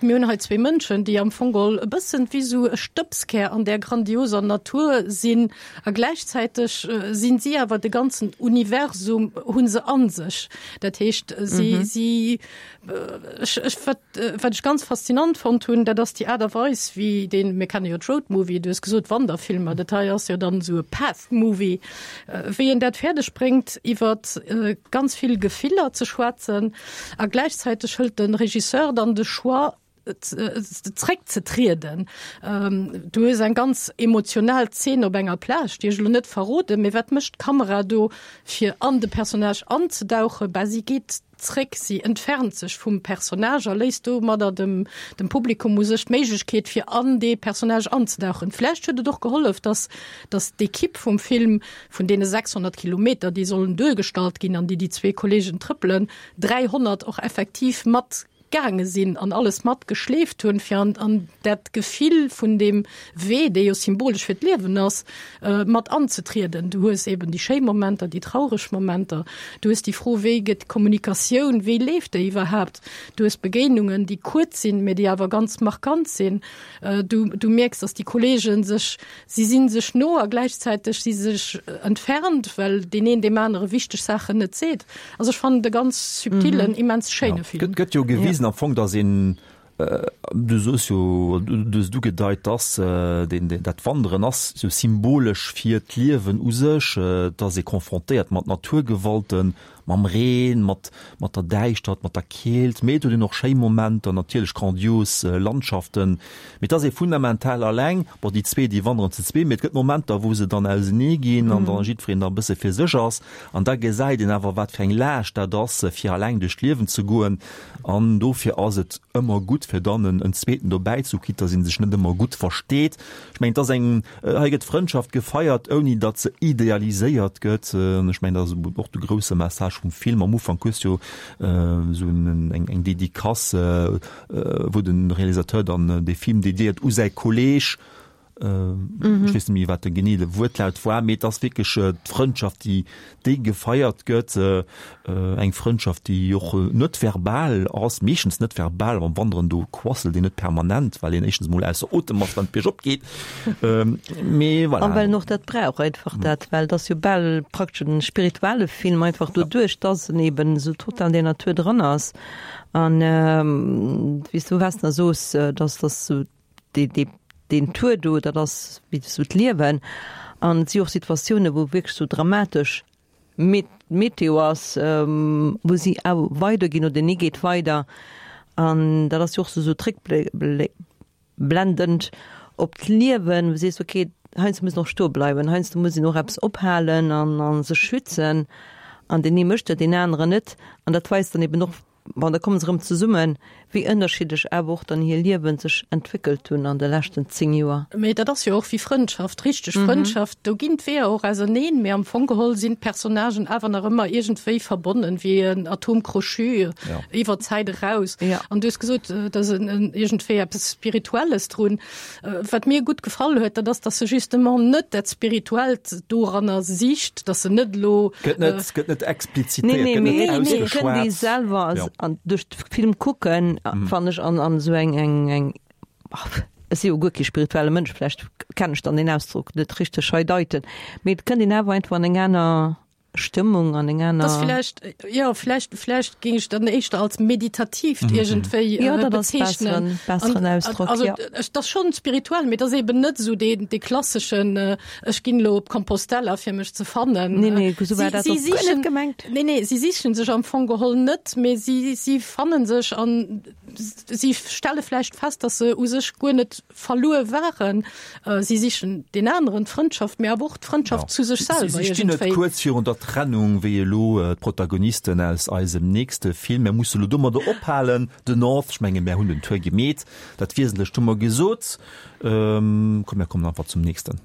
mir hunn hei zwee Mënschen, déi am Fong geholl e bëssen wéi esou e Stëbskär an där grandioser Natur sinn a gläichzäiteg sinn si awer de ganzen Universum hu se a sech. Dat heescht, si, si, ech, ech, wat, wat ech ganz faszinant fonnt hunn, dat ass déi Aart a Weis, wéi deen, mir kenne jo d'Roadmovie, du hues gesot Wanderfilmer, dat hei ass jo dann esou e Path Movie, wéi en dat fäerdeg bréngt, iwwer ganz vill Gefiller ze schwätzen a gläichzäiteg hëlt de Regisseur dann de Choix, zréckzetrieden. Du hues eng ganz emotional Zeen op enger Plage, déi ech elo net verroden, mee wat mécht d'Kamera do, fir an de Personnage anzedauchen? Bah, si geet zréck, si entfernt sech vum Personnage a léisst domadder dem, dem Publikum u sech d'Méiglechkeet, fir an dee Personnage anzedauchen. Vläicht huet et och gehollef, dass, dass d'Ekipp vum Film, vun deene 600 Kilometer, déi sollen duergestallt ginn an déi déi zwee Kollegen trëppelen, 300 och effektiv mat gaange sinn an alles mat geschleeft hunn, fir an, an dat Gefill vun deem Wee, dee jo symbolesch fir d'Liewen ass, mat anzetrieden. Du hues eben déi schéi Momenter, déi traureg Momenter, du hues déi Fro, wéi gëtt d'Kommunikatioun, wéi leeft déi iwwerhaapt? Du hues Begéinungen, déi kuerz sinn, mä déi awer ganz markant sinn. Du, du mierks, datt déi Kollegen sech, si si sech no a gläichzäiteg si se sech entfernt, well deen een deem anere wichteg Saachen net seet. Also ech fannen et e ganz subtilen, immens schéine Film.
Gëtt jo gewisen am Fong, datt een, du soos jo, du hues et ugedeit, datt deen, dat Wanderen ass sou symbolesch fir d'Liewen u sech, et ass ee confrontéiert mat Naturgewalten, mam Reen, mat mat der Däischtert, mat der Keelt, mee et huet een och schéi Momenter, natierlech grandios Landschaften, mee et ass ee fundamental alleng. Bon, déi zwee, déi wanderen zu zwee, mee et gëtt Momenter, wou se dann ausenee ginn an dann jiddwereen da e bësse fir sech ass. An da gesäit een awer, wat fir eng Laascht dat ass, fir alleng duerch d'Liewen ze goen. An dofir ass et ëmmer gutt, fir dann en zweeten dobäi ze hu, quitte dass ee sech net ëmmer gutt versteet. Ech mengen, et ass eng, hei gëtt Frëndschaft gefeiert, ouni datt se idealiséiert gëtt. An ech mengen, dat ass och de grousse Message vum Film. Am Ufank hues du jo esou eng Dedicace, wou de Realisateur dann dee Film dediéiert u säi Kolleeg. Ech weess net méi, wat de genee de Wuertlaut war, mee et ass wierklech d'Frëndschaft, déi, déi gefeiert gëtt. Eng Frëndschaft, déi och net verbal ass, meeschtens net verbal. Beim Wanderen, do quasselt een net permanent, well een éischtens emol ausser Otem ass, wann et biergop geet. Mee voilà.
An well en och dat brauch, einfach dat, well et ass jo bal praktesch en spirituelle Film, einfach doduerch, dass en eben esou total an der Natur dran ass. An wéi s du, Vesna, soos, dass dass esou deen Tour do, dat ass wéi esou d'Liewen. An et si och Situatiounen, wou wierklech esou dramatesch Meteo ass, wou si awer weiderginn oder deen ee geet weider. An dat ass jo och esou zréckblendend op d'Liewen, wou du sees, okay, heiansdo muss een och stoe bleiwen, heiansdo muss een och eppes ophalen an sech schützen. An deen ee mécht dat, deen aneren net. An dat weist dann eben och, Bon, da komme se erëm zesummen, wéi ënnerschiddlech awer och dann hir Liewen sech entwéckelt hunn an de leschten 10 Joer.
Mee dat ass jo och wéi Frëndschaft, richteg Frëndschaft, do ginn d'Weeër och auserneen, mee am Fong geholl sinn d'Personnagen awer nach ëmmer iergendwéi verbonnen, wéi en Atome crochu iwwer d'Zäit eraus. An du hues gesot, et ass iergendwéi eppes Spirituelles drun. Wat mir gutt gefall huet, dat ass, dass se justement net dat Spirituellt doranner sicht, dass se net elo.
Gëtt net, gëtt net explizitéiert,
gëtt net ausgeschwat. Nee, nee, mee selwer ja. an duerch de Film kucken, fannen ech an, an esou eng, eng, eng, ech si jo guer kee spirituelle Mënsch, vläicht kennen ech dann deen Ausdrock net richteg hei deiten, mee et kënnt een awer einfach an eng aner Stëmmung an eng aner.
Das vielleicht, ja, vielleicht, vielleicht ging ich dann éischter als meditativ mhm. iergendwéi
ja, äh, bezeichnen. Besseren, besseren Ausdruck,
also, ja. Das schon spirituell, mee das eben net so den, de klassischen äh, ech ginn lo op Compostela fir mech ze fannen.
Nee, nee, so war dat
sie, sie gemengt. Nee, nee, sie sichen sech am Fong geholl net, mee sie, sie fannen sech an sie stelle vläicht fest, dass se u sech guer net verluer waren. Si sichen deen aneren, d'Frëndschaft, mee awer och d'Frëndschaft zu sech selwer
iergendwéi. Si stinn net kuerz virun der Trennung, wéi elo d'Protagonisten aus eisem nächste Film. Mir musse elo domadder ophalen, The North. Ech menge mär hunn den Tour gemeet, dat Wiesentlecht hu mer gesot. Komm, mir kommen einfach zum nächsten,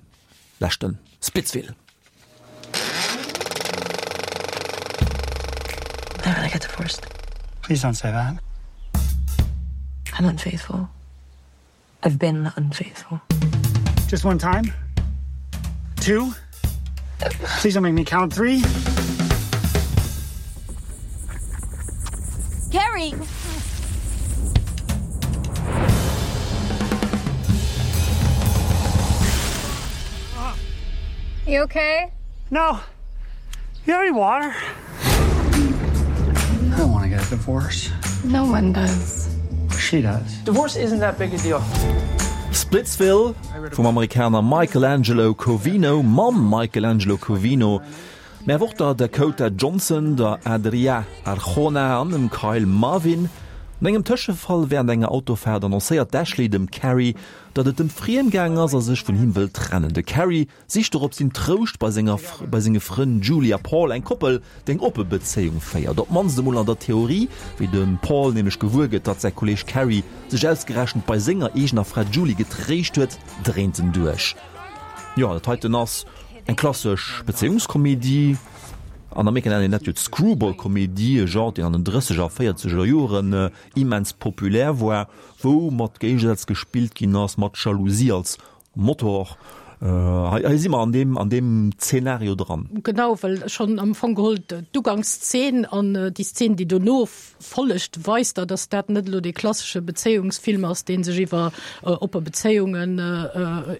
leschten Splitsville.
I'm gonna get divorced. Please don't say that. I'm unfaithful. I've been unfaithful. Just one time? Two? Please don't make me count three. Carrie! You okay? No. You have any water? I don't want to get a divorce. No one does. She does. Divorce isn't that big a deal.
Splitsville vum Amerikaner Michelangelo Covino mam Michelangelo Covino, mä awer och der Dakota Johnson, der Adria Arjona an dem Kyle Marvin. No engem Tëschefall wärend enger Autofaart annoncéiert d'Ashley dem Carrie, datt et em friem gaang ass a sech vun him wëll trennen. De Carrie sicht dorops sin Trouscht bei senger bei senge Frënn Julie a Paul, eng Koppel, déi eng oppe Bezéiung féiert. Op d'mannst emol an der Theorie, wéi de Paul nämlech gewuer gëtt, datt säi Kolleeg Carrie sech ausgerechent bei senger eegener Fra Julie getréischt huet, dréint en duerch. Jo, dat heiten ass eng klassesch Bezéiungskomedie. An Amerika nennt een dat jo d'Screwball-Komedie, e Genre, deen an den drësseger a véierzeger Joren immens populär war, wou mat Géigesätz gespillt ginn ass, mat Jalousie als Motor, hei si mer an deem, an deem Zeenario dran.
Genau, well schonn am Fong geholl d'Ugangszeen an déi Szeen, déi dono follegt, weist der, datt dat net elo dee klassesche Bezéiungsfilm ass, dee sech iwwer oppe Bezéiungen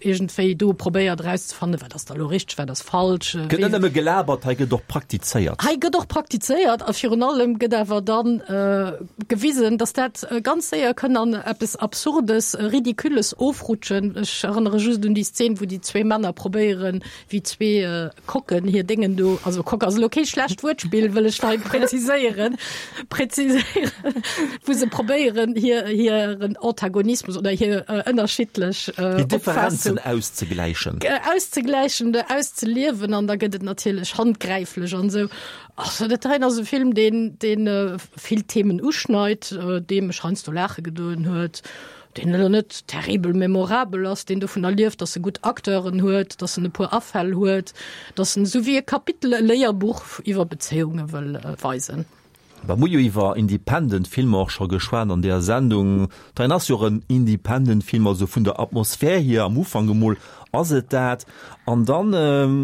iergendwéi do probéiert erauszefannen, wat ass da elo richteg, wat ass falsch.
Gëtt net nëmme gelabert, hei gëtt och praktizéiert.
Hei gëtt och praktizéiert a virun allem gëtt awer dann gewisen, datt dat ganz séier kënn an eppes Absurdes, Ridicules ofrutschen. Ech erënnere just un déi Szen, wou déi zwee Männer probéieren, wéi zwee Kocken hir Déngen do, also Kock ass elo kee schlecht Wuertspill, wëll ech hei präziséieren, präziséieren, wou se probéieren, hir, hiren Antagonismus oder hir ënnerschiddlech
Hir Differenzen auszegläichen.
Auszegläichen oder auszeliewen an da gëtt et natierlech handgräiflech an esou. Also dat heien ass e Film, deen, deen vill Themen uschneit, dee mech heiansdo laache gedoen huet, deen elo net terribel memorabel ass, deen dovunner lieft, datt e gutt Acteuren huet, datt en e puer Afäll huet, datt en esou wéi e Kapitel, e Léierbuch iwwer Bezéiunge wëll weisen.
Mer hu jo iwwer Independent Filmer och scho geschwat an deeër Sendung. Dat ass jo och en Independent Film, also vun der Atmosphär hier am Ufank emol ass et dat. An dann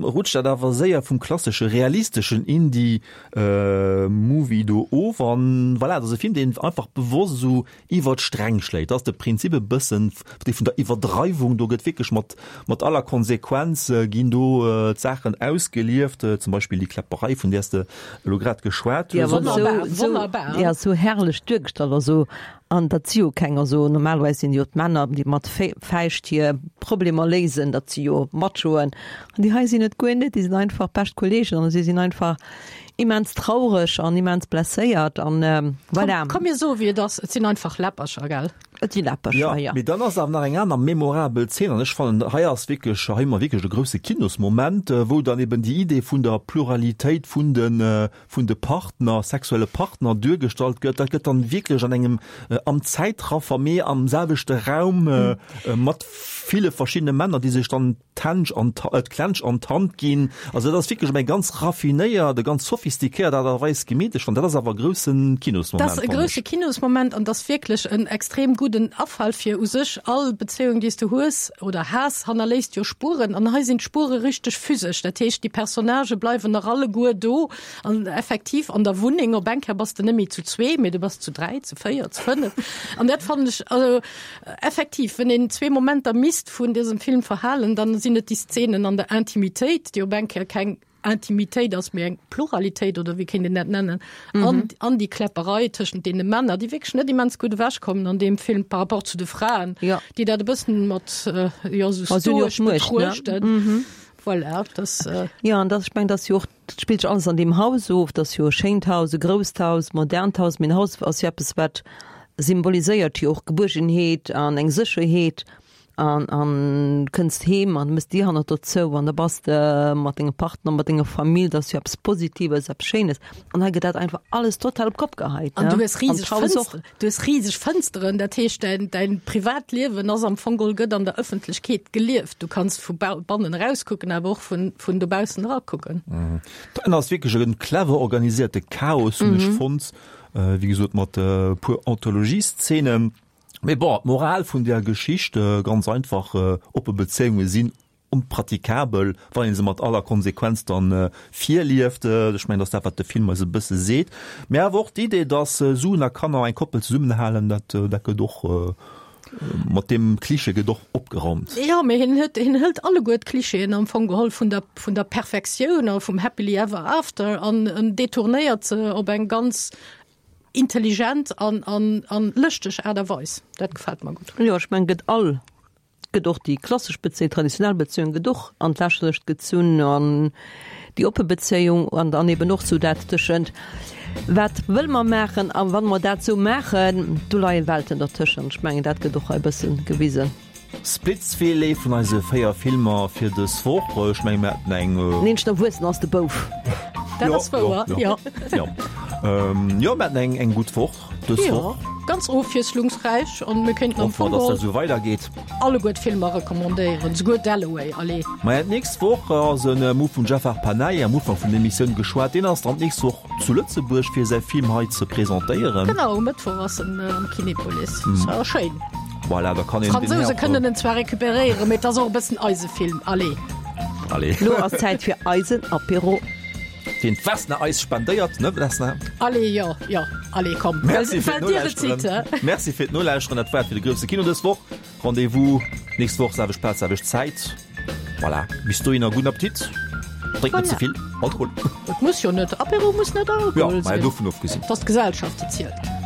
rutscht dat awer séier vum klassesche realisteschen Indie Movie do of an voilà, et ass e Film, deen einfach bewosst esou iwwer d'Sträng schléit. Dat ass de Prinzip e bëssen dee vun der Iwwerdreiwung. Do gëtt wierklech mat mat aller Konsequenz ginn do d'Saachen ausgelieft, zum Beispill déi Kläpperei, vun där s de elo grad geschwat
hues. Wonnerbar, wonnerbar. Déi ass esou herrlech duergestallt, also An dat si jo keng, also normalerweis sinn jo d'Männer, déi mat Fäischt hir Problemer léisen, dat si jo Machoen. An déi hei sinn et guer net, déi sinn einfach bescht Kolleegen an si sinn einfach immens traureg an immens blesséiert an voilà.
Komm, mir soe wéi et ass, et sinn einfach Läppercher, gell?
Et si Läppercher, jo.
Mee dann ass awer nach eng aner memorabel Zeen an ech fannen, hei ass wierklech, hei hu mer wierklech e grousse Kinosmoment, wou dann eben déi Idee vun der Pluralitéit vun de vun de Partner, sexuelle Partner duergestallt gëtt, dat gëtt dann wierklech an engem, am Zäitraffer, mee am selwechte Raum mat ville verschiddene Männer, déi sech dann d'Hänsch an d'Klensch an d'Hand ginn. Also dat ass wierklech op eng ganz raffinéiert, e ganz sophistiquéiert Aart a Weis gemeet. Ech fannen, dat ass awer e grousse Kinosmoment.
Dat ass e grousse Kinosmoment an dat ass wierklech en extrem gudden Afall fir u sech all Bezéiung, déi s du hues oder has, hannerléisst jo Spueren an hei sinn d'Spuere richteg physesch. Dat heescht, déi Personnagë bleiwen nach alleguer do an effektiv an der Wunneng. Op eng Kéier bass de net méi zu zwee, mee du bass zu dräi, zu véier, zu fënnef. An dat fannen ech, also effektiv, wenn een zwee Momenter misst vun dësem Film verhalen, dann sinn et déi Szenen an der Intimitéit, déi op eng Kéier keng Intimitéit ass, mee eng Pluralitéit oder wéi kéint een dat nennen, an, mhm. an déi Kläpperei tëschent deene Männer, déi wierklech net immens gutt ewechkommen an deem Film par rapport zu de Fraen,
ja.
déi dat e bëssen mat äh, ja, so stoisch betruechten.
Mhm.
Voilà, das,
äh ja, an das, ich mein, das jo och, dat spillt sech alles an deem Haus of, dat ass jo e schéint Haus, e grousst Haus, modernt Haus, mee en Haus ass jo eppes, wat symboliséiert jo och Gebuergenheet an eng Sécherheet. An an kënns heem an mëss d'Dier hannert der zou an da bass de mat dengem Partner, mat denger Famill, dat ass jo eppes Positives, eppes Schéines. An hei gëtt dat einfach alles total op d'Kopp geheit,
An du hues riseg Fënsteren, du hues riseg Fënsteren, dat heescht däin, däin Privatliewen ass am Fong geholl gëtt an der Ëffentlechkeet gelieft. Du kanns vu bannen erauskucken, awer och vun, vun dobaussen erakucken.
Dat ass wierklech e clever organisierte Chaos, hunn ech fonnt, wéi gesot mat e puer Anthologieszenen. Mee bon, d'Moral vun där Geschicht, ganz einfach, oppe Bezéiunge sinn onpratikabel, wann ee se mat aller Konsequenz dann virlieft. Ech mengen, dat ass dat, wat de Film eis e bësse seet. Mee awer och d'Idee, dass Suen a Kanner eng Koppel zesummenhalen, dat, dat gëtt och. Mat deem Klischee gëtt och opgeraumt.
Jo, mee hien huet, hien hëlt alleguer d'Klischeeën am Fong geholl vun der, vun der Perfektioun a vum Happily Ever After an en detournéiert se op eng ganz intelligent an, an, an lëschteg Aart a Weis. Dat gefält mer gutt.
Jo, ech mengen, gëtt all gëtt och déi klassesch Bezéiung, traditionell Bezéiung gëtt och an d'Lächerlecht gezunn an déi oppe Bezéiung an dann eben och sou dat tëschent wat wëlle mer maachen a wann mer dat sou maachen, do leie Welten dertëschent. Ech mengen dat gëtt och hei e bësse gewisen.
Splitsville, ee vun eise 4 Filmer fir dës Woch. Ech menge mir haten eng.
Den eenzegen Erwuessenen ass de Bouf.
Dat ass wouer, jo.
Jo, jo, mir haten eng eng gutt Woch. Dës
Jo, Woch. ganz ofwiesslungsräich an mir kéinten am
Hoffe mer,
Fong
dass dat
geholl
esou weidergeet.
alleguer d'Filmer recommandéieren, souguer Dalloway, allez.
Maja, d'nächst Woch ass en Move vum Jafar Panahi am Ufank vun der Emissioun geschwat. Deen ass dann d'nächst Woch zu Lëtzebuerg fir säi Film hei ze presentéieren.
Genau, um Mëttwoch ass en am Kinepolis. Ass awer schéin.
Voilà, da kann een den
D'Fransouse
Här och.
kënnen en zwar recuperéieren, mee et ass och e bëssen eise Film, allez.
Allez.
Lo ass Zäit fir eisen Apéro.
Deen d'Vesna eis spendéiert, ne Vesna?
Allez, jo, jo, allez, komm.
Merci fir d'Nolauschteren. Merci fir d'Nolauschteren. Dat war et fir de grousse Kino dës Woch. Rendez-vous nächst Woch, selwecht Plaz, selwecht Zäit. Voilà, bis dohinner gudden Appetit. Drénkt net ze vill Alkohol.
Et muss jo net, Apéro muss net Alkohol
sinn. Jo, mä dovun ofgesinn.
Et ass d'Gesellschaft, déi zielt.